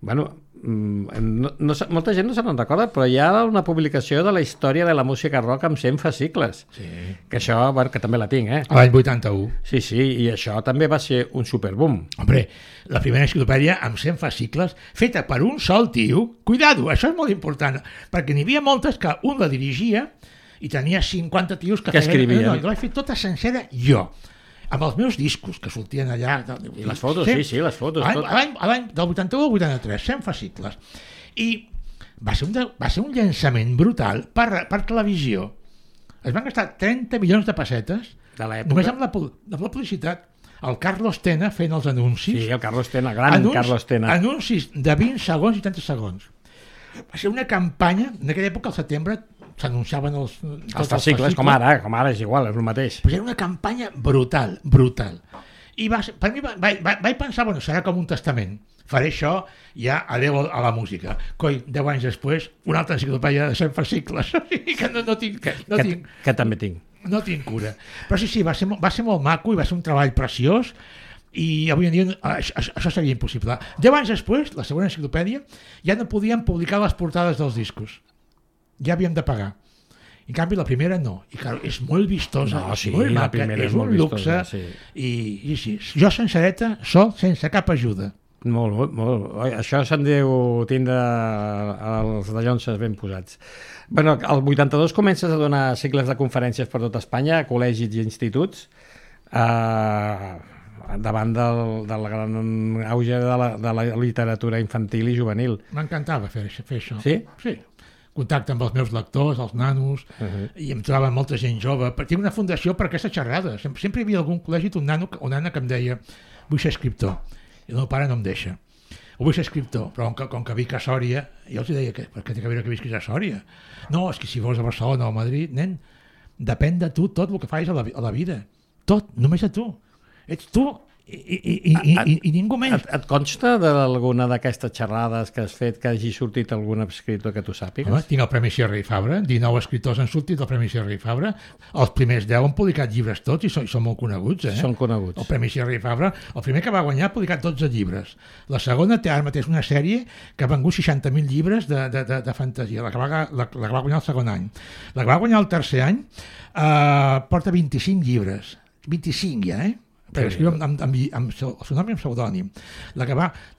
B: Bueno, molta gent no se n'en recorda, però hi ha una publicació de la història de la música rock amb 100 fascicles.
C: Sí.
B: Que això, bueno, que també la tinc,
C: L'any 81.
B: Sí, i això també va ser un superboom.
C: Hombre, la primera enciclopèdia amb 100 fascicles, feta per un sol tio. Cuidado, això és molt important, perquè n'hi havia moltes que un la dirigia i tenia 50 tios que
B: escrivien.
C: No, jo l'he fet tota sencera jo, amb els meus discos que sortien allà.
B: I les fotos, sí, les fotos.
C: L'any del 81 al 83, 100 fascicles. I va ser un llançament brutal per televisió. Es van gastar 30 milions de pessetes només amb la publicitat. El Carlos Tena fent els anuncis.
B: Sí, el Carlos Tena, Carlos Tena.
C: Anuncis de 20 segons i 30 segons. Va ser una campanya, en aquella època, al setembre, s'anunciaven els
B: fascicles, com ara és igual, és el mateix.
C: Però era una campanya brutal. I per mi vaig pensar, bueno, serà com un testament. Faré això, ja adeu a la música. Coi, 10 anys després, una altra enciclopèdia de 100 fascicles. Que no tinc.
B: Que també tinc.
C: No tinc cura. Però sí, va ser molt maco i va ser un treball preciós. I avui en dia això seria impossible. 10 anys després, la segona enciclopèdia, ja no podíem publicar les portades dels discos. Ja havíem de pagar. En canvi, la primera no. I clar, és molt vistosa, molt maca, és un luxe. I sí, jo sencereta, sol, sense cap ajuda.
B: Molt. Això se'n deu tindre els dallonses ben posats. Bueno, al 82 comences a donar cicles de conferències per tot Espanya, a col·legis i instituts, davant del gran auge de la literatura infantil i juvenil.
C: M'encantava fer això.
B: Sí?
C: Sí. Contacte amb els meus lectors, els nanos, i em trobava molta gent jove. Tinc una fundació per aquestes xerrades. Sempre hi havia algun col·legi un nano o nana que em deia: vull ser escriptor. I el meu pare no em deixa. O vull ser escriptor, però com que vic a Sòria, jo els deia: per què té que veure que visquis a Sòria? No, és que si vols a Barcelona o a Madrid, nen, depèn de tu tot el que fas a la vida. Tot, només a tu. Ets tu i ningú més.
B: Et consta d'alguna d'aquestes xerrades que has fet que hagi sortit algun escriptor que tu sàpigues?
C: Home, tinc el Premi Sierra i Fabra, 19 escriptors han sortit del Premi Sierra i Fabra, els primers 10 han publicat llibres tots i són molt coneguts.
B: Són coneguts.
C: El Premi Sierra i Fabra, el primer que va guanyar ha publicat 12 llibres. La segona té ara mateix una sèrie que ha vengut 60.000 llibres de fantasia, la que va guanyar el segon any. La que va guanyar el tercer any porta 25 llibres, 25 ja, perquè escriu amb el seu nom i amb pseudònim.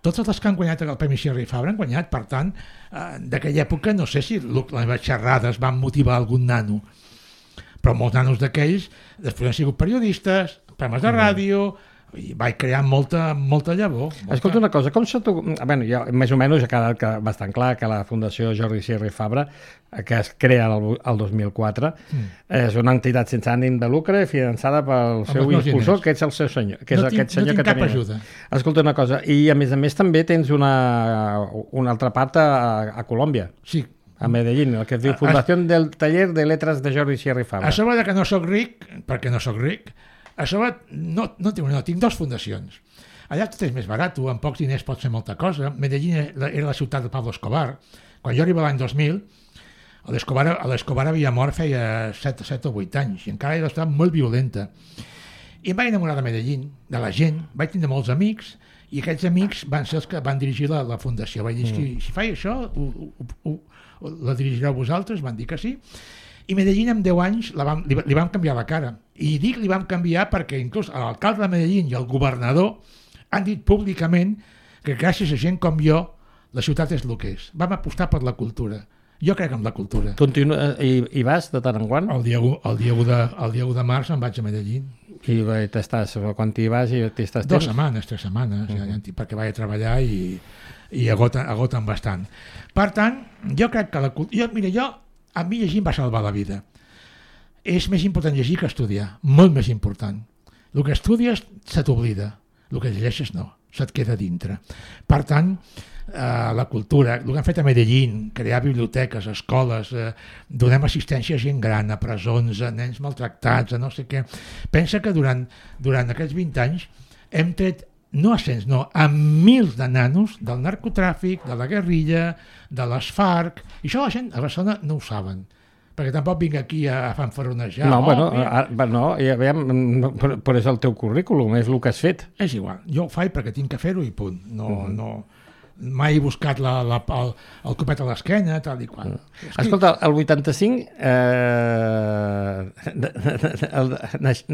C: Totes les que han guanyat el Premi Sierra i Fabra han guanyat, per tant, d'aquella època no sé si les meves xerrades van motivar algun nano, però molts nanos d'aquells després han sigut periodistes, programes de ràdio, i vaig crear molta llavor.
B: Escolta una cosa, com se tu... Bueno, ja més o menys ha quedat bastant clar que la Fundació Jordi Sierra i Fabra, que es crea el 2004, és una entitat sense ànim de lucre finançada pel seu impulsor, que és el seu senyor. Que és aquest senyor que
C: tinc cap ajuda.
B: Escolta una cosa, i a més també tens una altra part a Colòmbia.
C: Sí.
B: A Medellín, el que es diu Fundació del Taller de Letres de Jordi Sierra i Fabra.
C: A sobre que no soc ric, perquè no soc ric, a sobre tinc 2 fundacions. Allà tot és més barat, amb pocs diners pots fer molta cosa. Medellín era la ciutat de Pablo Escobar. Quan jo arribava l'any 2000, l'Escobar havia mort feia 7 o 8 anys i encara era estat molt violenta. I em vaig enamorar de Medellín, de la gent, vaig tindre molts amics, i aquests amics van ser els que van dirigir la fundació. Vaig dir, si faig això, la dirigireu vosaltres? Van dir que sí. I Medellín amb 10 anys li vam canviar la cara. I dic li vam canviar perquè inclús l'alcalde de Medellín i el governador han dit públicament que gràcies a gent com jo la ciutat és el que és. Vam apostar per la cultura. Jo crec en la cultura.
B: I vas de tant en quant?
C: El dia 1 de març em vaig a Medellín.
B: I t'estàs, quan t'hi vas i t'estàs
C: 2 setmanes, 3 setmanes, perquè vaig a treballar i agoten bastant. Per tant, jo crec que la cultura... A mi llegir em va salvar la vida. És més important llegir que estudiar, molt més important. El que estudies se t'oblida, el que llegeixes no, se't queda dintre. Per tant, la cultura, el que han fet a Medellín, crear biblioteques, escoles, donem assistència a gent gran, a presons, a nens maltractats, a no sé què. Pensa que durant aquests 20 anys hem tret, no a cents, no, a mils de nanos del narcotràfic, de la guerrilla, de les FARC, i això la gent a Barcelona no ho saben, perquè tampoc vinc aquí a fanfaronejar.
B: No, però és el teu currículum, és el que has fet.
C: És igual, jo ho faig perquè tinc que fer-ho i punt. No, mai he buscat el copet a l'esquena, tal i qual.
B: Escolta, el 85, el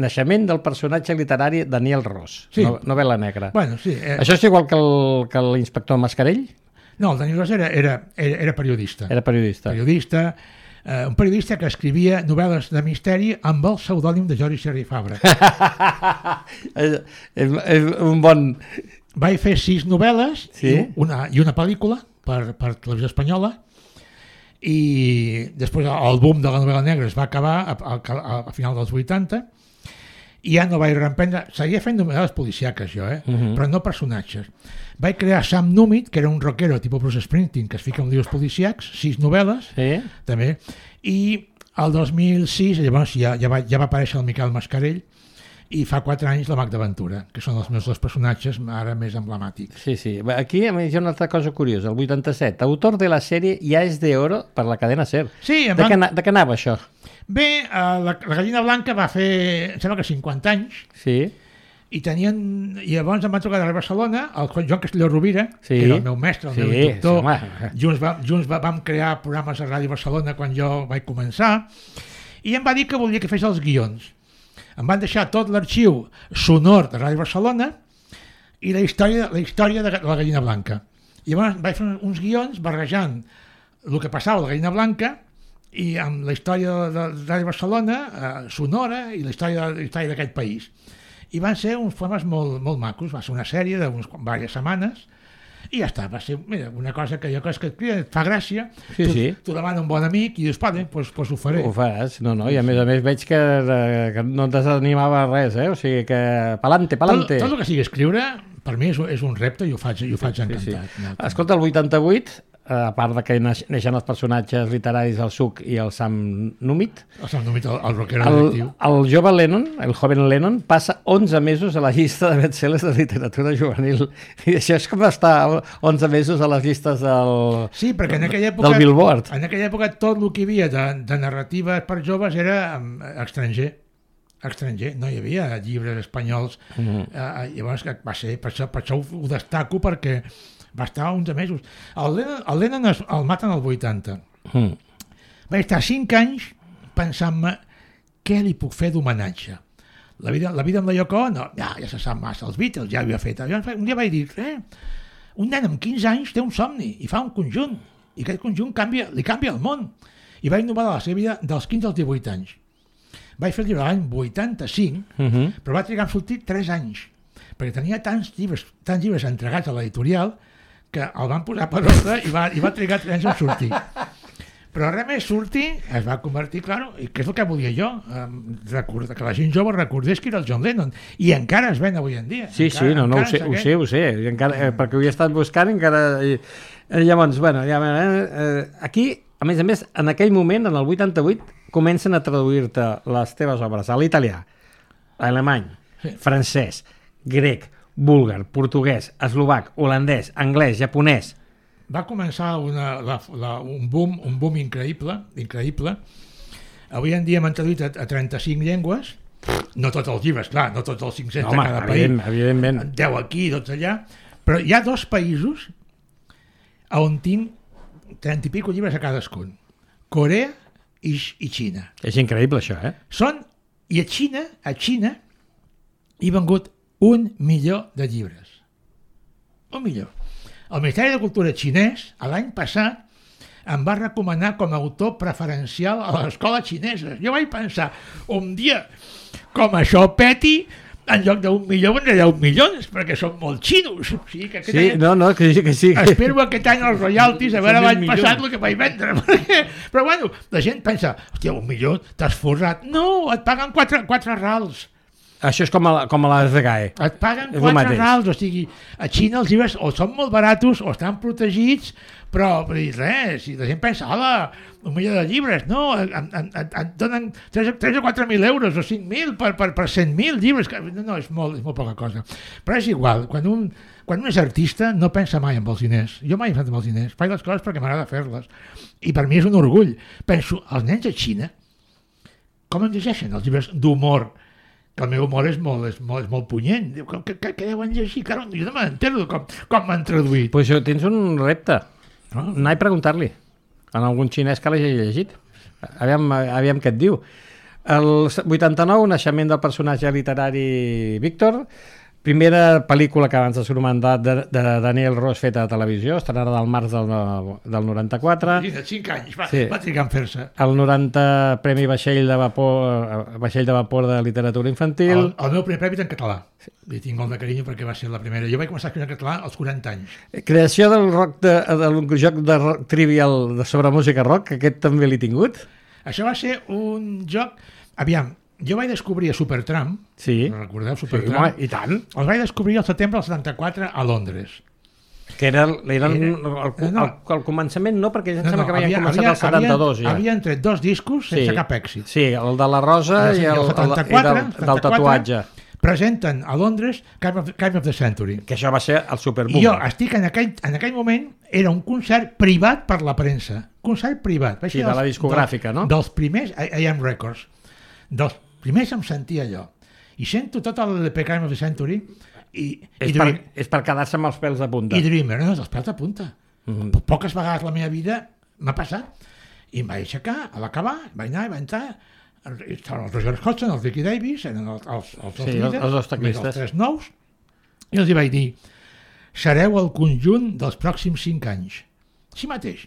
B: naixement del personatge literari Daniel Ros, sí. Novel·la negra.
C: Bueno, sí,
B: això és igual que l'inspector Mascarell?
C: No, el Daniel Ros era periodista.
B: Era periodista.
C: Un periodista que escrivia novel·les de misteri amb el pseudònim de Jordi Serra i Fabra.
B: És un bon...
C: Vaig fer 6 novel·les,
B: sí?
C: i una pel·lícula per Televisió Espanyola, i després el boom de la novel·la negra es va acabar a final dels 80, i ja no vaig reemprendre, seguia fent novel·les policiaques jo, però no personatges. Vaig crear Sam Númit, que era un rockero tipus Bruce Springsteen, que es fica en llibres policiacs, 6 novel·les, també, i el 2006 llavors ja va aparèixer el Miquel Mascarell, i fa 4 anys la Magda Ventura, que són els meus 2 personatges ara més emblemàtics.
B: Sí. Aquí a més hi ha una altra cosa curiosa. El 87, autor de la sèrie Ya es de oro per la cadena SER.
C: Sí,
B: de què anava això?
C: Bé, la Gallina Blanca va fer, em sembla que 50 anys,
B: sí.
C: I llavors em van trucar de Barcelona, el Joan Castelló Rovira, que era el meu mestre, el meu instructor. Junts vam crear programes a Ràdio Barcelona quan jo vaig començar, i em va dir que volia que fes els guions. Em van deixar tot l'arxiu sonor de Ràdio Barcelona i la història de la Gallina Blanca. I llavors vaig fer uns guions barrejant el que passava a la Gallina Blanca i amb la història de Ràdio Barcelona, sonora, i la història d'aquest país. I van ser uns poemes molt macos, va ser una sèrie de diverses setmanes, i ja està, va ser una cosa que jo crec que et fa gràcia, t'ho demana un bon amic i dius, doncs ho faré.
B: Ho faràs, i a més veig que no et desanimava res, o sigui que pa'lante.
C: Tot el que sigui escriure, per mi és un repte i ho faig encantat.
B: Sí. Escolta, el 88, a part de que neixen els personatges literaris el Suc i el Sam Númit,
C: el rockero detectiu,
B: el jove Lennon, el joven Lennon, passa 11 mesos a la llista de bestsellers de literatura juvenil. I això és com estar 11 mesos a les llistes del Billboard.
C: En aquella època tot el que hi havia de narratives per joves era estranger, no hi havia llibres espanyols. Llavors va ser, per això ho destaco, perquè va estar 11 mesos. El Lennon el maten al 80. Vaig estar 5 anys pensant-me què li puc fer d'homenatge. La vida amb la Yoko Ono, ja se sap massa, els Beatles ja ho havia fet. Un dia vaig dir, un nen amb 15 anys té un somni i fa un conjunt, i aquest conjunt li canvia el món. I vaig novel·lar la seva vida dels 15 als 18 anys. Vaig fer el llibre l'any 85, però va trigar a sortir 3 anys, perquè tenia tants llibres entregats a l'editorial que el van posar per ordre i va trigar 3 anys a sortir. Però res més sortir, es va convertir, i què és el que volia jo? Que la gent jove recordés que era el John Lennon, i encara es ven avui en dia.
B: Sí, ho sé, perquè ho he estat buscant encara. Llavors, aquí, a més, en aquell moment, en el 88, comencen a traduir-te les teves obres a l'italià, a alemany, francès, grec, búlgar, portuguès, eslovac, holandès, anglès, japonès.
C: Va començar un boom increïble. Avui en dia m'han traduït a 35 llengües. No tots els llibres, clar, no tots els 500 de cada país.
B: Evidentment.
C: 10 aquí, 12 allà. Però hi ha 2 països on tinc 30 i pico llibres a cadascun. Corea i Xina.
B: És increïble, això,
C: I a Xina hi ha vengut 1 milió de llibres. 1 milió. El Ministeri de Cultura xinès, l'any passat, em va recomanar com a autor preferencial a les escoles xineses. Jo vaig pensar, un dia, com això peti, en lloc d'1 milió vendré 10 milions, perquè són molt xinos. O sigui, que
B: que sí.
C: Espero aquest any els royalties, a veure l'any passat el que vaig vendre. Però bueno, la gent pensa, hòstia, 1 milió, t'has forrat. No, et paguen 4 rals.
B: Això és com a la RGAE.
C: Et paguen 4 rals, o sigui, a Xina els llibres o són molt baratos o estan protegits, però res, si la gent pensa, hola, 1 milió de llibres, no, et donen 3 o 4.000 euros o 5.000 per 100.000 llibres, no, és molt poca cosa. Però és igual, quan un és artista no pensa mai en els diners. Jo mai he pensat en els diners, faig les coses perquè m'agrada fer-les. I per mi és un orgull. Penso, els nens a Xina, com en llegeixen els llibres d'humor? Que el meu humor és molt punyent. Què deuen llegir? Claro, jo no m'entero com m'han traduït.
B: Pues tens un repte. Anar a preguntar-li a algun xinès que l'hagi llegit. Aviam què et diu. El 89, naixement del personatge literari Víctor, primera pel·lícula que abans de Surmandat de Daniel Ros feta a televisió, estrenada del març del 94.
C: De 5 anys, va trigar en fer-se.
B: El 90 Premi Vaixell de Vapor de Literatura Infantil.
C: El meu primer premi en català. Li tinc molt de carinyo perquè va ser la primera. Jo vaig començar a escriure en català als 40 anys.
B: Creació del joc de rock trivial sobre música rock, que aquest també l'he tingut.
C: Això va ser un joc... Aviam, jo vaig descobrir a Supertramp, recordeu Supertramp?
B: Sí, i tant.
C: Els vaig descobrir al setembre del 74 a Londres.
B: Que era al començament no, perquè ja em sembla que havien començat el 72 ja.
C: Havien tret 2 discos sense cap èxit.
B: Sí, el de la Rosa i el del tatuatge.
C: Presenten a Londres Kind of the Century.
B: Que això va ser el superboom.
C: I jo estic en aquell moment, era un concert privat per la premsa. Concert privat.
B: Sí, de la discogràfica, no?
C: Dels primers, AM Records. Dels primers em sentia allò. I sento tot el Kind of the Century
B: és per quedar-se amb els pèls de punta.
C: I Dreamer, no, els pèls de punta. Poques vegades la meva vida m'ha passat. I em vaig aixecar, a l'acabar, vaig anar i vaig entrar. Estaven els Roger Hodgson, els Ricky Davis, eren els dos líders,
B: els teclistes.
C: Els 3 nous, i els hi vaig dir, sereu el conjunt dels pròxims 5 anys. Així mateix.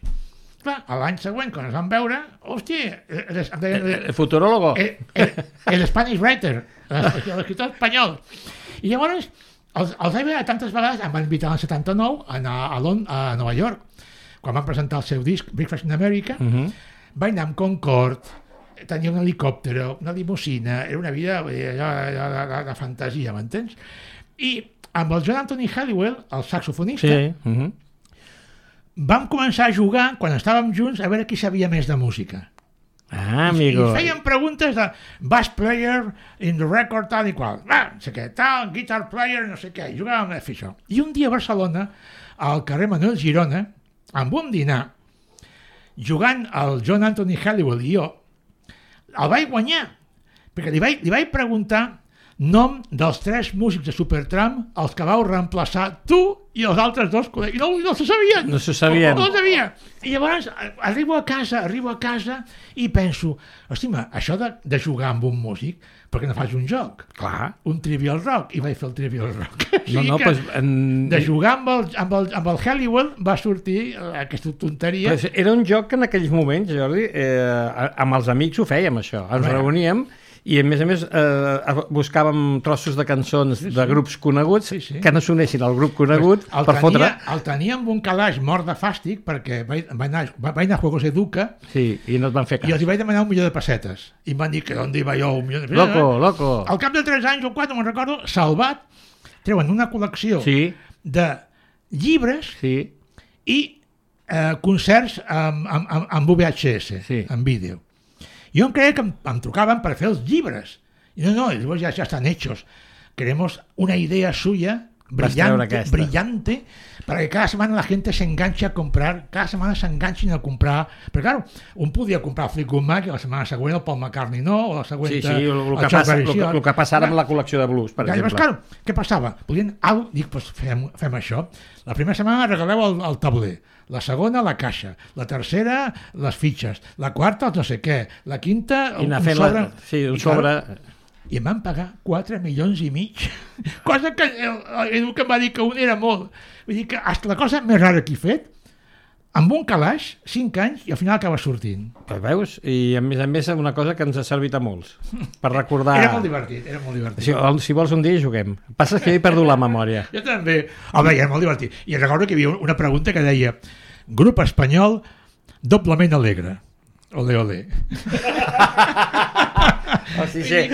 C: Clar, l'any següent, quan ens vam veure, hòstia...
B: El futurólogo.
C: El Spanish writer, l'escriptor espanyol. I llavors, els vaig veure tantes vegades, em van invitar l'any 79 a anar a Nova York, quan van presentar el seu disc, Breakfast in America, vaig anar amb Concorde, tenia un helicòpter, una limusina, era una vida de fantasia, m'entens? I amb el John Anthony Halliwell, el saxofonista, vam començar a jugar, quan estàvem junts, a veure qui sabia més de música.
B: Amigo.
C: I feien preguntes de bass player in the record, tal i qual. No sé què, tal, guitar player, no sé què. I jugàvem a fer això. I un dia a Barcelona, al carrer Manuel Girona, amb un dinar, jugant el John Anthony Halliwell i jo, el vaig guanyar, perquè li vaig preguntar nom dels 3 músics de Supertramp, els que vau reemplaçar tu i els altres 2 col·legues. I no s'ho sabien.
B: No s'ho sabien.
C: No ho sabia. I llavors arribo a casa i penso, hòstia, això de jugar amb un músic, per què no fas un joc?
B: Clar.
C: Un Trivial Rock. I vaig fer el Trivial Rock. De jugar amb el Halliwell va sortir aquesta tonteria.
B: Però era un joc que en aquells moments, Jordi, amb els amics ho fèiem, això. Ens reuníem i a més buscàvem trossos de cançons de grups coneguts que no s'unessin al grup conegut per fotre.
C: El tenia amb un calaix mort de fàstic perquè vaig anar a Juegos Educa
B: i no et van fer cas.
C: I els hi vaig demanar 1 milió de pessetes i em van dir que d'on iba jo 1 milió de
B: pessetes. Loco.
C: Al cap de 3 anys o 4, me'n recordo, Salvat treuen una col·lecció de llibres i concerts amb VHS, en vídeo. Jo em creia que em trucaven per fer els llibres. I no, llavors ja estan hechos. Queremos una idea suya brillante, para que cada semana la gente se enganche a comprar, cada semana se enganchen a comprar, però claro, un podia comprar el Fleetwood Mac i la setmana següent el Paul McCartney no, o la següent
B: el que passa ara amb la col·lecció de blues, per exemple.
C: Claro, què passava? Dic, doncs fem això. La primera setmana regaleu el tauler, la segona la caixa, la tercera les fitxes, la quarta els no sé què, la quinta un sobre... I em van pagar 4 milions i mig, cosa que Edu que em va dir que un era molt. Vull dir que hasta la cosa més rara que he fet, amb un calaix, 5 anys, i al final acaba sortint.
B: Pues veus? I a més una cosa que ens ha servit a molts, per recordar...
C: Era molt divertit.
B: Si vols un dia juguem. Passa que he perdut la memòria.
C: Jo també. Home, era molt divertit. I recordo que hi havia una pregunta que deia grup espanyol doblement alegre. Ole, ole.
B: Sí.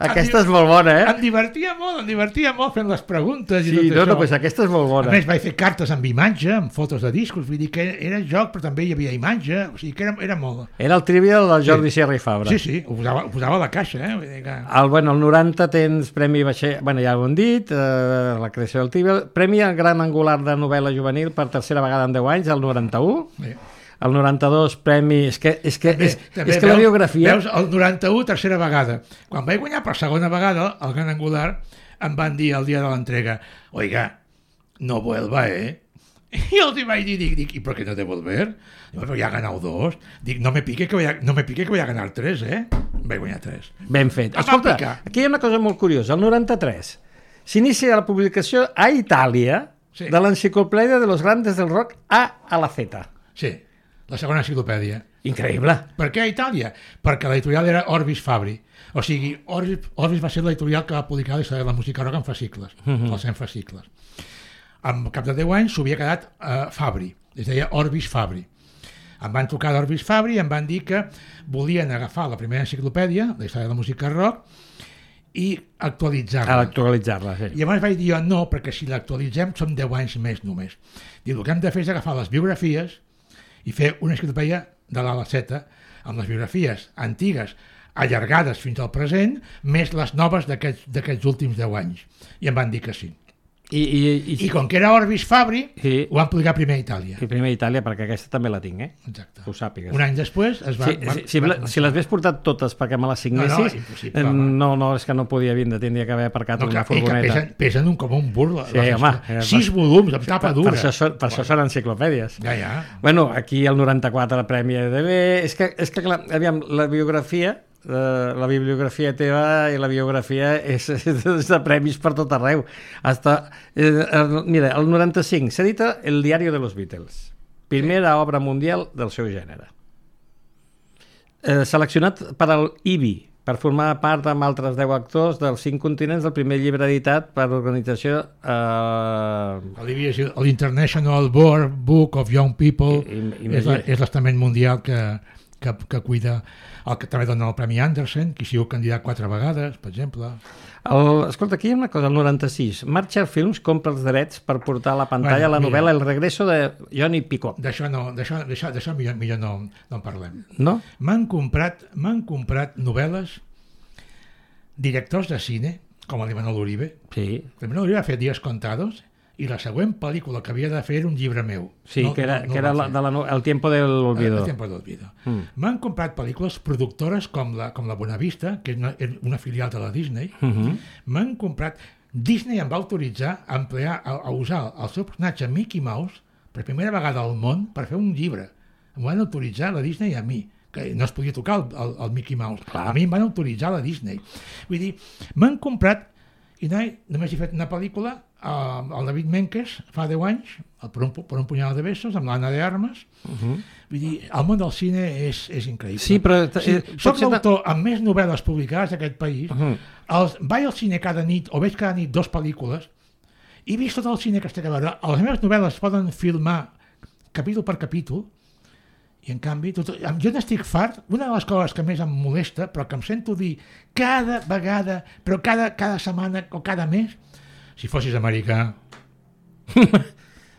B: Aquesta és molt bona,
C: Em divertia molt fent les preguntes i tot això.
B: Doncs aquesta és molt bona.
C: A més, vaig fer cartes amb imatge, amb fotos de discos, vull dir que era joc, però també hi havia imatge, o sigui que era molt...
B: Era el trivial del Jordi Sierra i Fabra.
C: Sí, ho posava a la caixa, Vull dir que...
B: El 90 tens Premi Vaixell, ja ho hem dit, la creació del trivial, Premi al Gran Angular de novel·la juvenil per tercera vegada en 10 anys, el 91. Sí. El 92, premi... És que la biografia...
C: Veus, el 91, tercera vegada. Quan vaig guanyar per segona vegada el Gran Angular, em van dir el dia de l'entrega, oiga, no vuelva, I els vaig dir, dic, ¿y por qué no devolver? Dic, però ja ha ganat 2. Dic, no me pique que voy a ganar 3, Vaig guanyar 3.
B: Ben fet. Escolta, aquí hi ha una cosa molt curiosa. El 93 s'inicia la publicació a Itàlia de l'enciclopèdia de los grandes del rock A a la Z.
C: Sí. La segona enciclopèdia.
B: Increïble.
C: Per què a Itàlia? Perquè l'editorial era Orbis Fabri. O sigui, Orbis va ser l'editorial que va publicar la història de la música rock en fascicles, els 100 fascicles. Al cap de 10 anys s'ho havia quedat Fabri, es deia Orbis Fabri. Em van trucar d'Orbis Fabri i em van dir que volien agafar la primera enciclopèdia, la història de la música rock, i actualitzar-la.
B: Sí.
C: I llavors vaig dir no, perquè si l'actualitzem són 10 anys més només. Dic, el que hem de fer és agafar les biografies i fer una enciclopèdia de l'A a la Z amb les biografies antigues allargades fins al present, més les noves d'aquests últims 10 anys. I em van dir que sí. I com que era Orbis Fabri, ho van publicar primer a Itàlia.
B: I primer a Itàlia, perquè aquesta també la tinc,
C: Exacte.
B: Que ho sàpigues.
C: Un any després es va...
B: Si les hagués portat totes perquè me les signessis, no, és que no podia vindre, tindria que haver aparcat una furgoneta.
C: Pesen com un burla.
B: Sí, home.
C: 6 volums, amb tapa dura.
B: Per això són enciclopèdies.
C: Ja.
B: Bueno, aquí el 94 el Premi EDB... És que clar, aviam, la bibliografia teva i la biografia és de premis per tot arreu. Mira, el 95 s'edita El diario de los Beatles, primera obra mundial del seu gènere, seleccionat per al IBI per formar part amb altres 10 actors dels 5 continents del primer llibre editat per l'organització
C: l'IBI és l'International Book of Young People, és l'estament mundial que cuida el que també dona el Premi Anderson, que ha sigut candidat 4 vegades, per exemple.
B: Escolta, aquí hi ha una cosa, el 96. Marshall Films compra els drets per portar a la pantalla la novel·la El regreso de Johnny Pickup.
C: D'això millor no en parlem.
B: No?
C: M'han comprat novel·les directors de cine, com l'Imanol Uribe.
B: Sí.
C: L'Imanol Uribe ha fet Días Contados, i la següent pel·lícula que havia de fer era un llibre meu.
B: Sí, que era El tiempo del olvido.
C: El tiempo del olvido. M'han comprat pel·lícules productores com la Buenavista, que és una filial de la Disney. M'han comprat... Disney em va autoritzar a usar el seu personatge Mickey Mouse per primera vegada al món per fer un llibre. Em van autoritzar la Disney a mi, que no es podia tocar el Mickey Mouse.
B: Clar.
C: A mi em van autoritzar la Disney. Vull dir, m'han comprat... I només he fet una pel·lícula, el David Menkes, fa 10 anys, per un punyal de besos, amb l'Anna de Armas. Vull dir, el món del cine és increïble.
B: Sí, però...
C: Soc l'autor amb més novel·les publicades d'aquest país. Vaig al cine cada nit, o veig cada nit 2 pel·lícules, i he vist tot el cine que estic a veure. Les meves novel·les es poden filmar capítol per capítol, i en canvi, jo n'estic fart. Una de les coses que més em molesta, però que em sento dir cada vegada, però cada setmana o cada mes, si fossis americà,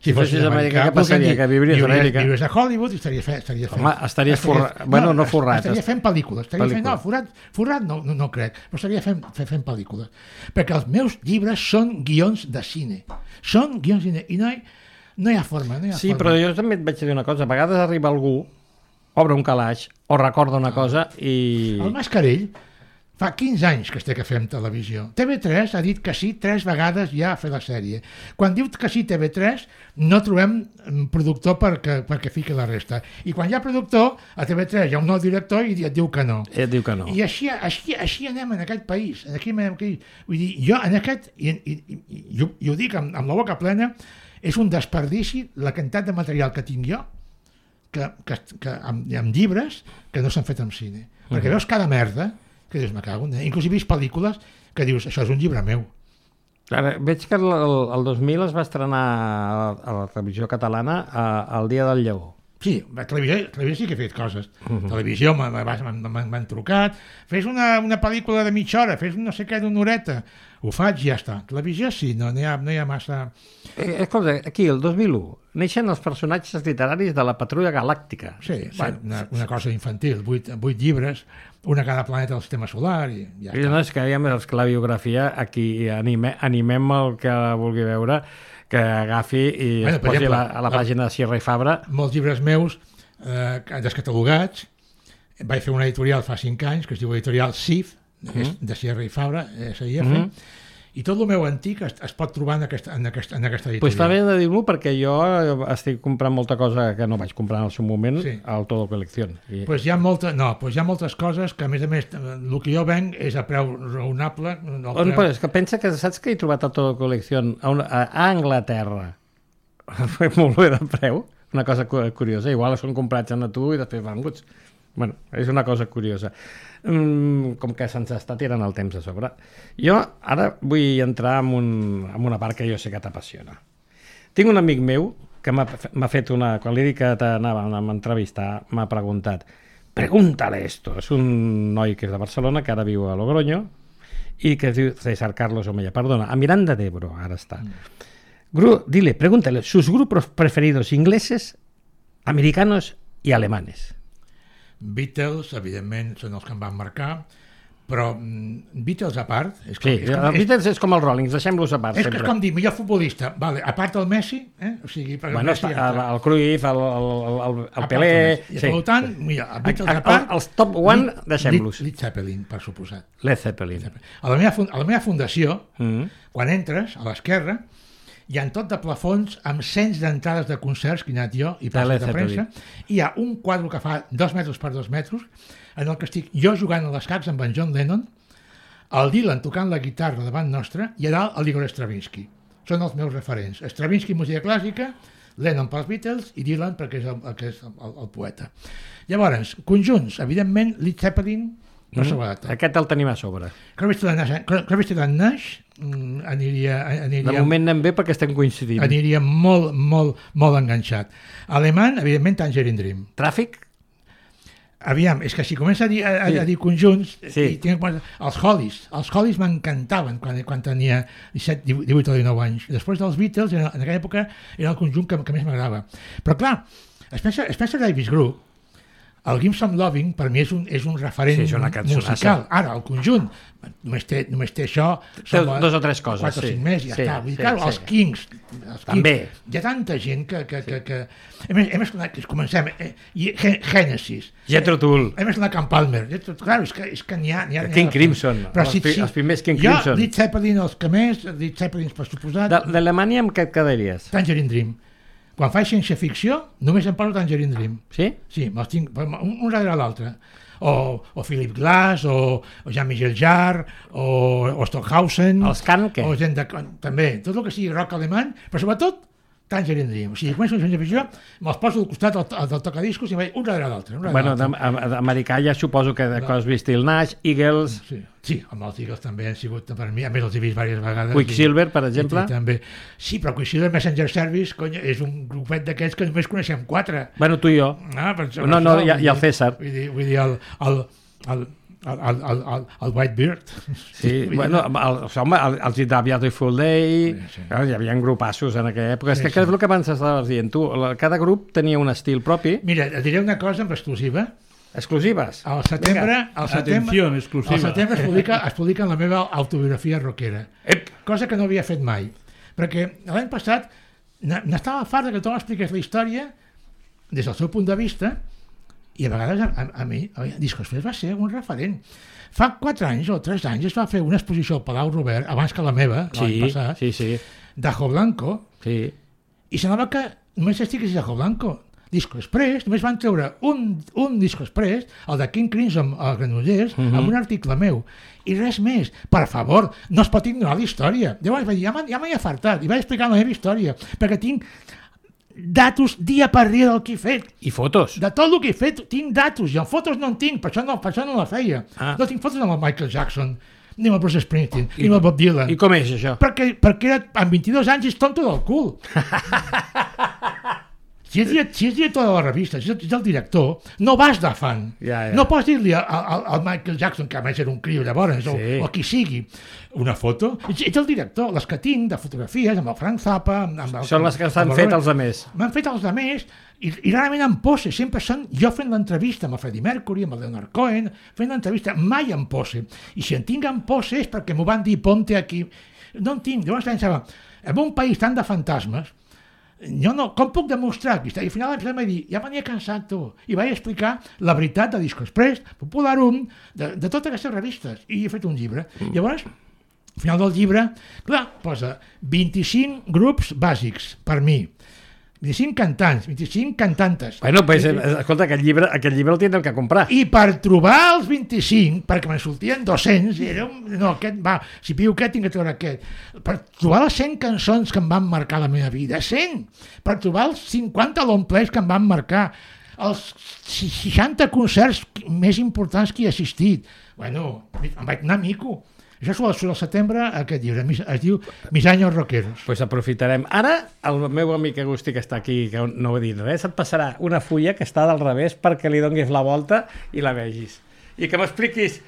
B: Si fossis americà, què passaria? Que viuries a Amèrica?
C: Viuries a Hollywood i estaries fent...
B: Home, estaries forrat. Bueno, no forrat.
C: Estaria fent pel·lícules. No, forrat no crec, però estaria fent pel·lícules. Perquè els meus llibres són guions de cine. Són guions de cine. I no hi ha forma.
B: Sí, però jo també et vaig dir una cosa. A vegades arriba algú, obre un calaix, o recorda una cosa i...
C: El Mascarell fa 15 anys que es té que fer amb televisió. TV3 ha dit que sí 3 vegades ja a fer la sèrie. Quan diu que sí TV3, no trobem productor perquè fiqui la resta. I quan hi ha productor, a TV3 hi ha un nou director i et diu que no. I així anem en aquest país. Vull dir, jo en aquest, i ho dic amb la boca plena, és un desperdici la quantitat de material que tinc jo amb llibres que no s'han fet en cine. Perquè veus cada merda que dius, me cago en... Inclús he vist pel·lícules que dius, això és un llibre meu.
B: Ara, veig que el 2000 es va estrenar a la televisió catalana el Dia del Lleó.
C: Sí, a televisió sí que he fet coses. Televisió m'han trucat, fes una pel·lícula de mitja hora, fes no sé què d'una horeta. Ho faig i ja està. Televisió sí, no hi ha massa...
B: Escolta, aquí, el 2001, neixen els personatges literaris de la Patrulla Galàctica.
C: Sí, una cosa infantil, 8 llibres, una a cada planeta del sistema solar i ja està.
B: No, és que la biografia, aquí animem el que vulgui veure, que agafi i es posi a la pàgina de Sierra i Fabra.
C: Molts llibres meus descatalogats, vaig fer una editorial fa 5 anys que es diu editorial SIF, de Sierra i Fabra, SIF, i tot el meu antic es pot trobar en aquesta editorial.
B: Pues fa bé de dir-m'ho perquè jo estic comprant molta cosa que no vaig comprar en el seu moment al Todo Colección.
C: Pues hi ha moltes coses que a més el que jo venc és a preu raonable.
B: És que pensa que saps que he trobat el Todo Colección a Anglaterra molt bé de preu, una cosa curiosa, igual són comprats a tu i després venguts. Bueno, és una cosa curiosa. Com que se'ns està tirant el temps a sobre. Jo ara vull entrar en una part que jo sé que t'apassiona. Tinc un amic meu que m'ha fet quan li dic que t'anava a entrevistar, m'ha preguntat, pregúntale esto. És un noi que és de Barcelona, que ara viu a Logroño, i que es diu César Carlos Omeya. Perdona, a Miranda de Ebro, ara està. Dile, pregúntale, sus grupos preferidos ingleses, americanos y alemanes.
C: Beatles, evidentment, són els que em van marcar, però Beatles a part...
B: Beatles és com els Rollings, deixem-los a part.
C: És com dir, millor futbolista, a part del Messi, o sigui...
B: El Cruyff, el Pelé...
C: Per tant, Beatles a part...
B: Els top one, deixem-los.
C: Led Zeppelin, per suposat.
B: Led Zeppelin.
C: A la meva fundació, quan entres, a l'esquerra, hi ha tot de plafons amb cents d'entrades de concerts que he anat jo i passes de premsa, i hi ha un quadre que fa 2 metres per 2 metres en el que estic jo jugant a l'escacs amb en John Lennon, el Dylan tocant la guitarra davant nostra i a dalt el Igor Stravinsky. Són els meus referents. Stravinsky, música clàssica, Lennon pels Beatles i Dylan perquè és el poeta. Llavors, conjunts, evidentment, Led Zeppelin, per sobre de tot.
B: Aquest el tenim a sobre.
C: Crosby, Stills & Nash aniria...
B: De moment anem bé perquè estem coincidint.
C: Aniria molt enganxat. Alemany, evidentment, Tangerine Dream.
B: Tràfic?
C: Aviam, és que si comença a dir conjunts, els Hollies m'encantaven quan tenia 17, 18 o 19 anys. Després dels Beatles, en aquella època, era el conjunt que més m'agradava. Però clar, Spencer Davis Group, el Give Some Loving per mi és un referent musical. Ara, el conjunt només té això,
B: té 2 o 3 coses,
C: 4 o 5 més i ja està. Vull dir, clar, els Kings
B: també.
C: Hi ha tanta gent que hem escoltat, comencem, Genesis,
B: Jethro Tull,
C: hem escoltat Camp Palmer, clar, és que n'hi ha
B: King Crimson, els primers King Crimson.
C: Led Zeppelin, els que més, Led Zeppelin per suposat.
B: D'Alemanya amb què et quedaries?
C: Tangerine Dream. Quan faig ciència-ficció, només em poso Tangerine Dream.
B: Sí?
C: Sí, me'ls tinc un darrere l'altre. O Philip Glass, o Jean-Michel Jarre, o Stockhausen...
B: Els Can, què?
C: També, tot el que sigui rock alemany, però sobretot Tangerine Dream. O sigui, començo la ciència-ficció, me'ls poso al costat del tocadiscos i vaig un darrere l'altre.
B: Bueno, d'americà ja suposo que de Crosby, Stills, Nash, Eagles...
C: Sí, amb els Eagles també han sigut per mi, a més els he vist diverses vegades.
B: Quicksilver, per exemple?
C: També. Sí, però Quicksilver Messenger Service, cony, és un grupet d'aquests que només coneixem 4.
B: Bueno, tu i jo. No, i el César.
C: Vull dir, el Whitebeard.
B: Sí, bueno, els Daviado i Full Day, hi havia grupassos en aquella època. És que és el que abans estaves dient tu, cada grup tenia un estil propi.
C: Mira, et diré una cosa amb exclusiva.
B: Exclusives?
C: Al setembre es publica la meva autobiografia rockera, cosa que no havia fet mai, perquè l'any passat n'estava fart que tothom expliqués la història des del seu punt de vista, i a vegades a mi Discos Fresh va ser un referent. Fa 4 anys o 3 anys es va fer una exposició al Palau Robert, abans que la meva, l'any passat, d'Ajo Blanco, i semblava que només estigués d'Ajo Blanco. Disco Express, només van treure un Disco Express, el de King Crimson al Granollers, amb un article meu, i res més. Per favor, no es pot ignorar la història. Llavors vaig dir, ja m'he afartat, i vaig explicar la meva història, perquè tinc datos dia per dia del que he fet.
B: I fotos?
C: De tot el que he fet tinc datos, i en fotos no en tinc, per això no la feia. No tinc fotos amb el Michael Jackson, ni amb el Bruce Springsteen, ni amb el Bob Dylan.
B: I com és això?
C: Perquè amb 22 anys és tonto del cul. Si és director de la revista, si és el director, no vas de fan. No pots dir-li al Michael Jackson, que a més era un criu llavors, o qui sigui, una foto. Ets el director. Les que tinc de fotografies, amb el Frank Zappa...
B: Són les que s'han fet els altres.
C: M'han fet els altres, i rarament en pose. Sempre són jo fent l'entrevista amb el Freddie Mercury, amb el Leonard Cohen, fent l'entrevista, mai en pose. I si en tinc en pose és perquè m'ho van dir, ponte aquí. No en tinc. Llavors pensava, en un país tan de fantasmes, com puc demostrar? I al final em vaig dir, ja m'havia cansat tu, i vaig explicar la veritat de Disco Express, Popularum, de totes aquestes revistes, i he fet un llibre. Llavors, al final del llibre, clar, posa 25 grups bàsics per mi, 25 cantants, 25 cantantes.
B: Bueno, pues, escolta, aquest llibre el tindrem que comprar.
C: I per trobar els 25, perquè me'n sortien 200, era si piu aquest, tinc que treure aquest. Per trobar les 100 cançons que em van marcar la meva vida, 100! Per trobar els 50 long plays que em van marcar, els 60 concerts més importants que he assistit. Bueno, em vaig anar mico. Això surt al setembre, aquest llibre, es diu Mis años rockeros.
B: Pues aprofitarem. Ara, el meu amic Agustí, que està aquí, que no va dir res, et passarà una fulla que està del revés perquè li donguis la volta i la vegis. I que m'expliquis...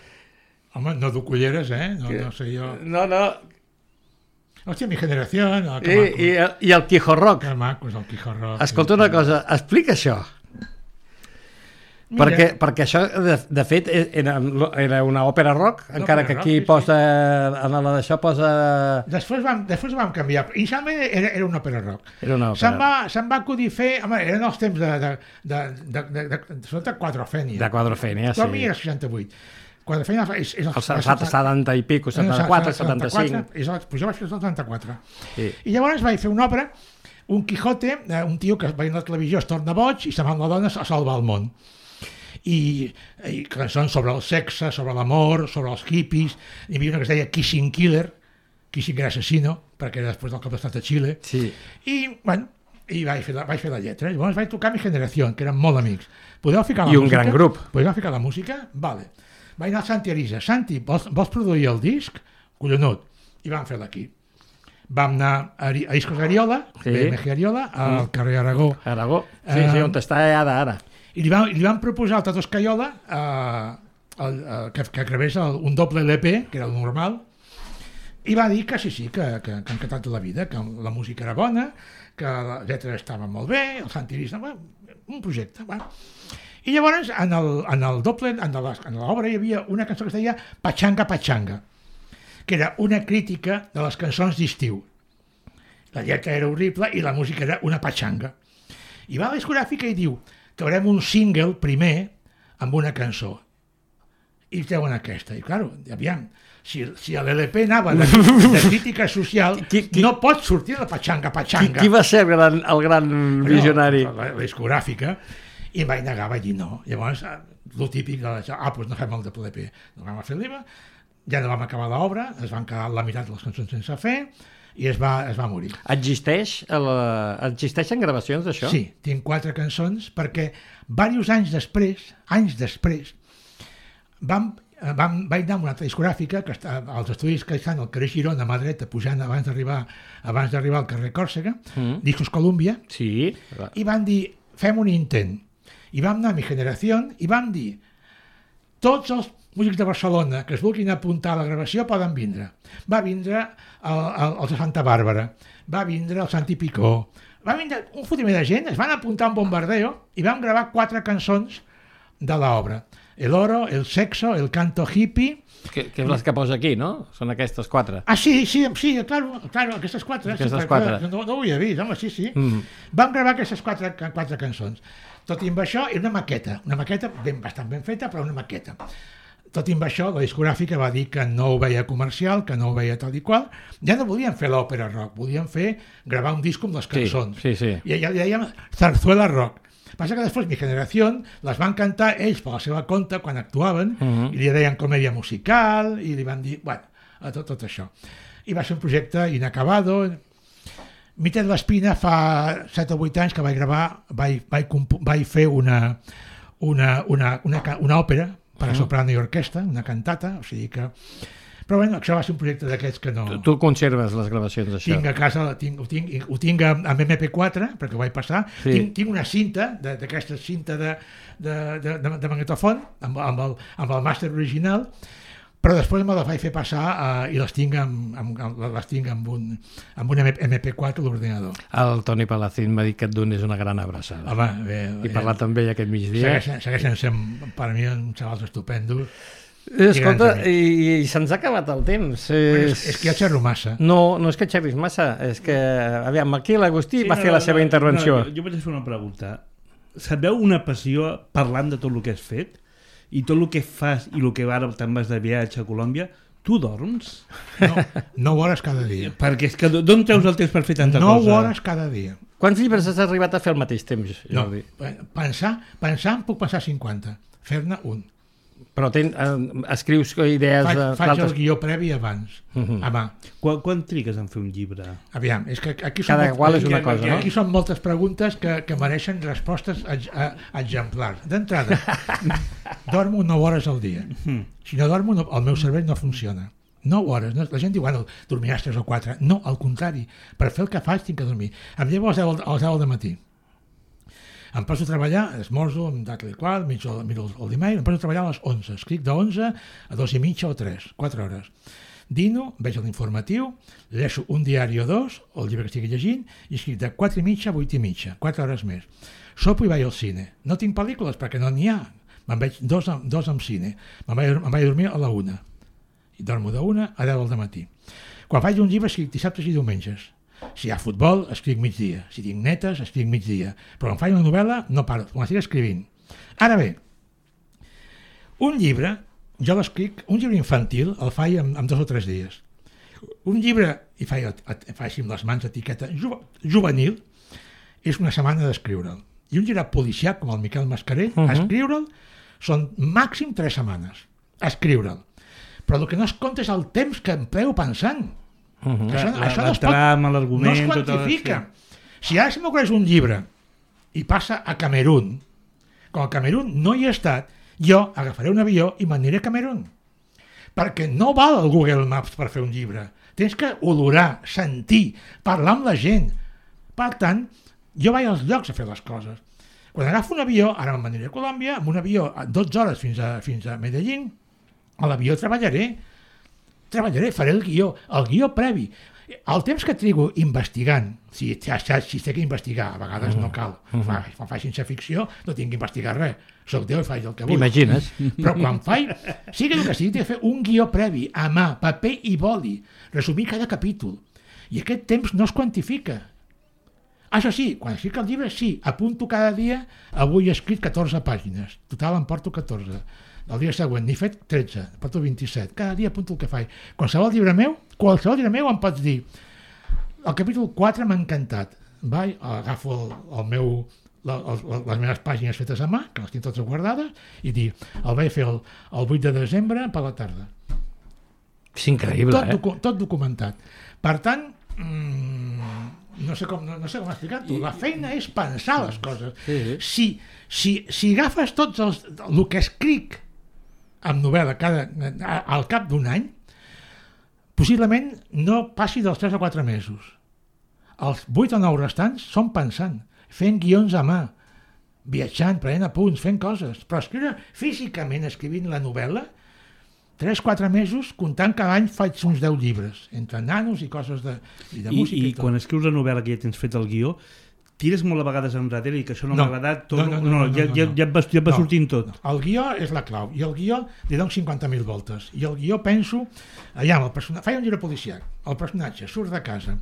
C: Home, no du culleres, No sé jo...
B: No.
C: Hòstia, mi generació...
B: I el Quijorroc.
C: Que maco és el Quijorroc.
B: Escolta una cosa, explica això. Perquè això, de fet, era una òpera rock, encara que aquí posa... En la d'això posa...
C: Després vam canviar. Inicialment era una òpera rock. Se'n va acudir fer... Home, eren els temps de Quadrofènia.
B: De Quadrofènia, sí.
C: Però a mi era 68. Quadrofènia és...
B: Els 70 i pico, 74, 75.
C: Pues jo vaig fer el 74. I llavors vaig fer una obra, un Quijote, un tio que veient la televisió es torna boig i se'n va amb la dona a salvar el món. I cançons sobre el sexe, sobre l'amor, sobre els hippies. Hi havia una que es deia Kissing Killer, Kissing era assassino, perquè era després del cop d'estat de Xile. I vaig fer la lletra. Llavors vaig tocar Mi Generació, que eren molt amics. Podeu ficar la música?
B: I un gran grup.
C: Podeu ficar la música? Vale. Vaig anar al Santi Arisa. Santi, vols produir el disc? Collonut. I vam fer-la aquí. Vam anar a Discos Ariola, BMG Ariola, al carrer Aragó.
B: Aragó, sí, on està ara.
C: I li van proposar al Tato Escaiola que gravés un doble LP, que era el normal, i va dir que sí, que encantat de la vida, que la música era bona, que la lletra estava molt bé, el Santi Arisa, un projecte. I llavors, en el doble, en l'obra hi havia una cançó que es deia Pachanga, Pachanga, que era una crítica de les cançons d'estiu. La lletra era horrible i la música era una pachanga. I va a la discogràfica i diu: traurem un single primer amb una cançó. I treuen aquesta. I, clar, aviam, si l'LP anava de crítica social, no pot sortir la pachanga.
B: Qui va ser el gran visionari?
C: La discogràfica. I em vaig negar, vaig dir no. Llavors, el típic, doncs no fem el LP. No vam fer l'IVA, ja no vam acabar l'obra, es van quedar la meitat de les cançons sense fer, i es va morir.
B: Existeixen gravacions d'això?
C: Sí, tinc 4 cançons, perquè diversos anys després, vaig anar a una altra discogràfica, que està als estudis que estan al carrer Girona, a mà dreta, pujant abans d'arribar al carrer Còrsega, Discos Columbia, i van dir, fem un intent. I vam anar a Mi Generació i vam dir, tots els músics de Barcelona que es vulguin apuntar a la gravació poden vindre. Va vindre els de Santa Bàrbara, va vindre el Santi Picó, va vindre un fotimer de gent, es van apuntar a un bombardeo i vam gravar 4 cançons de l'obra. El oro, el sexo, el canto hippie...
B: Que és les que posa aquí, no? Són aquestes 4.
C: Ah, sí, claro, aquestes 4.
B: Aquestes 4.
C: No ho havia vist, home, sí. Vam gravar aquestes 4 cançons. Tot i amb això, era una maqueta bastant ben feta, però una maqueta. Tot i amb això, la discogràfica va dir que no ho veia comercial, que no ho veia tal i qual. Ja no volien fer l'òpera rock, volien gravar un disc amb les cançons.
B: Sí.
C: I ja dèiem Zarzuela rock. Passa que després Mi Generació les van cantar ells per la seva compte quan actuaven i li deien comèdia musical i li van dir, bueno, tot això. I va ser un projecte inacabado. Mites l'Espina fa 7 o 8 anys que vaig fer una òpera per a soprano i orquestra, una cantata, o sigui que... Però bueno, això va ser un projecte d'aquests que no...
B: Tu conserves les gravacions d'això?
C: Tinc a casa, ho tinc amb MP4, perquè ho vaig passar. Sí. Tinc una cinta, d'aquesta cinta de magnetofon, amb el màster original, però després me la vaig fer passar i les tinc amb un MP4 a l'ordinador.
B: El Toni Palacín m'ha dit que et donis una gran abraçada.
C: Home, bé,
B: i parlar també aquest migdia.
C: Segueixen sent, per mi, uns xavals estupendos.
B: Escolta, i se'ns ha acabat el temps.
C: És que ja xerro massa.
B: No és que xerris massa, és que, aviam, aquí l'Agustí va fer la seva intervenció.
D: Jo vaig fer una pregunta. Sabeu una passió parlant de tot el que has fet? I tot el que fas i el que ara te'n vas de viatge a Colòmbia, tu dorms?
C: No, 9 hores cada dia.
D: Perquè és que d'on treus el temps per fer tanta
C: 9
D: cosa?
C: 9 hores cada dia.
B: Quants llibres has arribat a fer al mateix temps, Jordi?
C: No, pensar puc pensar 50, fer-ne un.
B: Però escrius idees...
C: Faig el guió previ abans, a mà.
D: Quan trigues en fer un llibre?
C: Aviam, és que aquí
B: cada qual és una cosa, no?
C: Aquí són moltes preguntes que mereixen respostes exemplars. D'entrada, dormo 9 hores al dia. Si no dormo, el meu cervell no funciona. 9 hores. La gent diu, bueno, dormiràs 3 o 4. No, al contrari. Per fer el que faig tinc que dormir. Em llevo a les 10 del matí. Em poso a treballar, esmorzo, em tal i qual, miro el dimarts, em poso a treballar a les 11. Escric de 11 a 2 i mitja o 3, 4 hores. Dino, veig l'informatiu, llegeixo un diari o 2, o el llibre que estigui llegint, i escric de 4 i mitja a 8 i mitja, 4 hores més. Sopo i vaig al cine. No tinc pel·lícules perquè no n'hi ha. Me'n veig dos amb cine. Me'n vaig a dormir a la 1. I dormo de 1 a 10 del matí. Quan faig un llibre escric dissabtes i diumenges. Si hi ha futbol, escric migdia. Si tinc netes, escric migdia. Però quan faig una novel·la, no paro, quan estic escrivint. Ara bé, un llibre, jo l'escric, un llibre infantil el faig en 2 o 3 dies. Un llibre, i faig amb les mans etiqueta, juvenil, és una setmana d'escriure'l. I un llibre policial, com el Miquel Mascarell, escriure'l són màxim 3 setmanes. Escriure'l. Però el que no es compta és el temps que empleo pensant. Això
D: la trama, l'argument...
C: No es quantifica. Si ara se m'ocorreix un llibre i passa a Camerún, com a Camerún no hi he estat, jo agafaré un avió i m'aniré a Camerún. Perquè no val el Google Maps per fer un llibre. Tens que olorar, sentir, parlar amb la gent. Per tant, jo vaig als llocs a fer les coses. Quan agafo un avió, ara m'aniré a Colòmbia, amb un avió a 12 hores fins a Medellín, a l'avió treballaré, faré el guió previ. El temps que trigo investigant, si té que investigar, a vegades no cal. Quan faig ciència-ficció no tinc que investigar res. Soc Déu i faig el que vull.
B: Imagines?
C: Però quan faig, sigui el que sigui, tinc que fer un guió previ, a mà, paper i boli, resumir cada capítol. I aquest temps no es quantifica. Això sí, quan escric el llibre, sí, apunto cada dia, avui he escrit 14 pàgines, total em porto 14. El dia següent n'he fet 13, porto 27. Cada dia apunto el que faig. Qualsevol llibre meu em pots dir el capítol 4 m'ha encantat. Agafo les meves pàgines fetes a mà, que les tinc totes guardades, i dir, el vaig fer el 8 de desembre per la tarda.
B: És increïble,
C: Tot documentat. Per tant, no sé com explicar-t'ho. La feina és pensar les coses. Si agafes tots el que escric amb novel·la al cap d'un any, possiblement no passi dels 3 o 4 mesos. Els 8 o 9 restants són pensant, fent guions a mà, viatjant, prenent apunts, fent coses. Però escriure físicament, escrivint la novel·la, 3-4 mesos, comptant cada any faig uns 10 llibres, entre nanos i coses de música i tot.
D: I quan escrius la novel·la que ja tens fet el guió, tires molt a vegades enrere i que això no m'ha agradat? Ja et va sortint tot.
C: El guió és la clau, i el guió li dono 50.000 voltes. I el guió penso, allà, faig un llibre policiac, el personatge surt de casa,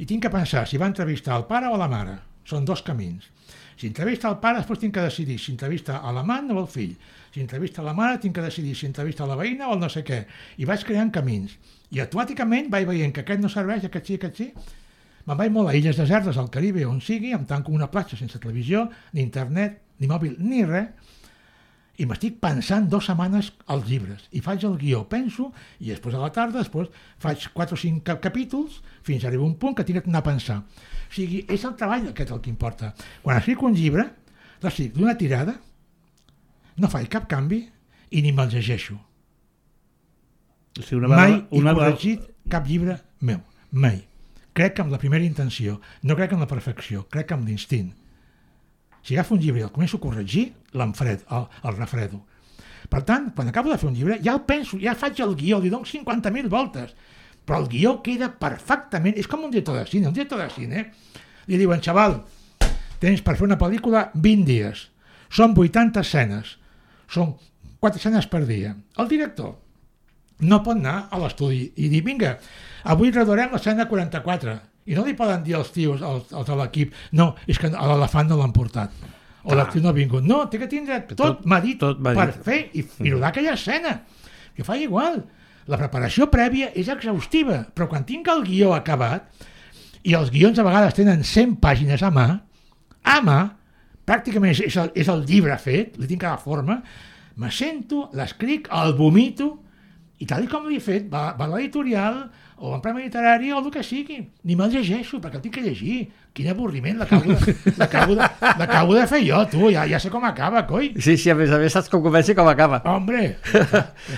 C: i tinc que pensar si va entrevistar el pare o la mare. Són 2 camins. Si entrevista el pare, després tinc que decidir si entrevista a l'amant o al fill. Si entrevista la mare, tinc que decidir si entrevista la veïna o el no sé què. I vaig creant camins. I automàticament vaig veient que aquest no serveix, aquest sí. Me'n vaig molt a illes desertes, al Caribe, on sigui, em tanco una platja sense televisió, ni internet, ni mòbil, ni res, i m'estic pensant 2 setmanes als llibres. I faig el guió, penso, i després a la tarda, faig 4 o 5 capítols, fins a arribar a un punt que tinc que anar a pensar. O sigui, és el treball aquest el que importa. Quan escric un llibre, l'escric d'una tirada, no faig cap canvi i ni me'l llegeixo.
D: O sigui,
C: mai he corregit cap llibre meu, mai. Crec amb la primera intenció, no crec en la perfecció, crec amb l'instint. Si agafo un llibre i el començo a corregir, el refredo. Per tant, quan acabo de fer un llibre, ja el penso, ja faig el guió, li dono 50.000 voltes, però el guió queda perfectament, és com un director de cine, li diuen, xaval, tens per fer una pel·lícula 20 dies, són 80 escenes, són 4 escenes per dia. El director no pot anar a l'estudi i dir, vinga, avui rodarem l'escena 44, i no li poden dir als tios, als de l'equip, no, és que a l'elefant no l'han portat, o l'actiu no ha vingut. No, té que tindre tot medit per fer i rodar aquella escena, que fa igual. La preparació prèvia és exhaustiva, però quan tinc el guió acabat, i els guions a vegades tenen 100 pàgines a mà, pràcticament és el llibre fet, li tinc cada forma, me sento, l'escric, el vomito, i tal com l'he fet, va a l'editorial, o en premi literari, o el que sigui. Ni me'l llegeixo, perquè el tinc que llegir. Quin avorriment, l'acabo de fer jo, tu, ja sé com acaba, coi.
B: Sí, a més saps com comença i com acaba.
C: Hombre!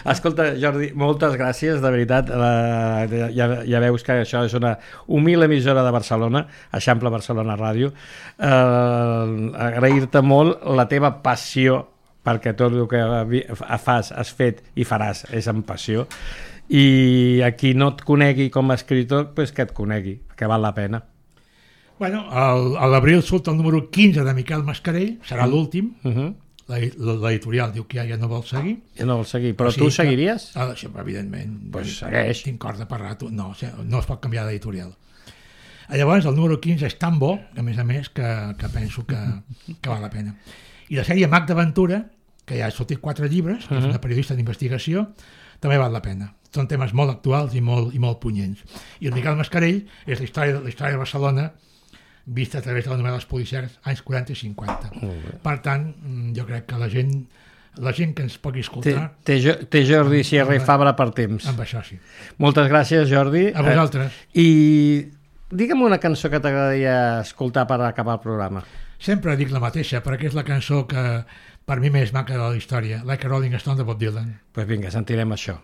B: Escolta, Jordi, moltes gràcies, de veritat. Ja veus que això és una humil emissora de Barcelona, Eixample Barcelona Ràdio. Agrair-te molt la teva passió, perquè tot el que has fet i faràs és amb passió, i a qui no et conegui com a escritor, pues que et conegui, que val la pena.
C: Bueno, a l'abril surt el número 15 de Miquel Mascarell, serà l'últim. L'editorial diu que ja no vol seguir.
B: Ja no vol seguir, però tu seguiries?
C: Això, evidentment.
B: Pues segueix.
C: Tinc cor de parlar. No es pot canviar d'editorial. Llavors, el número 15 és tan bo, a més, que penso que val la pena. I la sèrie Mac d'Aventura, que ja ha sortit 4 llibres, que és una periodista d'investigació, també val la pena. Són temes molt actuals i molt punyents. I el Miquel Mascarell és la història de Barcelona vista a través de les novel·les policials anys 40 i 50. Per tant, jo crec que la gent que ens pugui escoltar...
B: Té Jordi Sierra i Fabra per temps.
C: Amb això sí.
B: Moltes gràcies, Jordi.
C: A vosaltres.
B: I digue'm una cançó que t'agradaria escoltar per acabar el programa.
C: Sempre dic la mateixa, perquè és la cançó que per mi més maca de la història, Like a Rolling Stone de Bob Dylan.
B: Doncs vinga, sentirem això.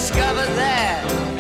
E: discovered that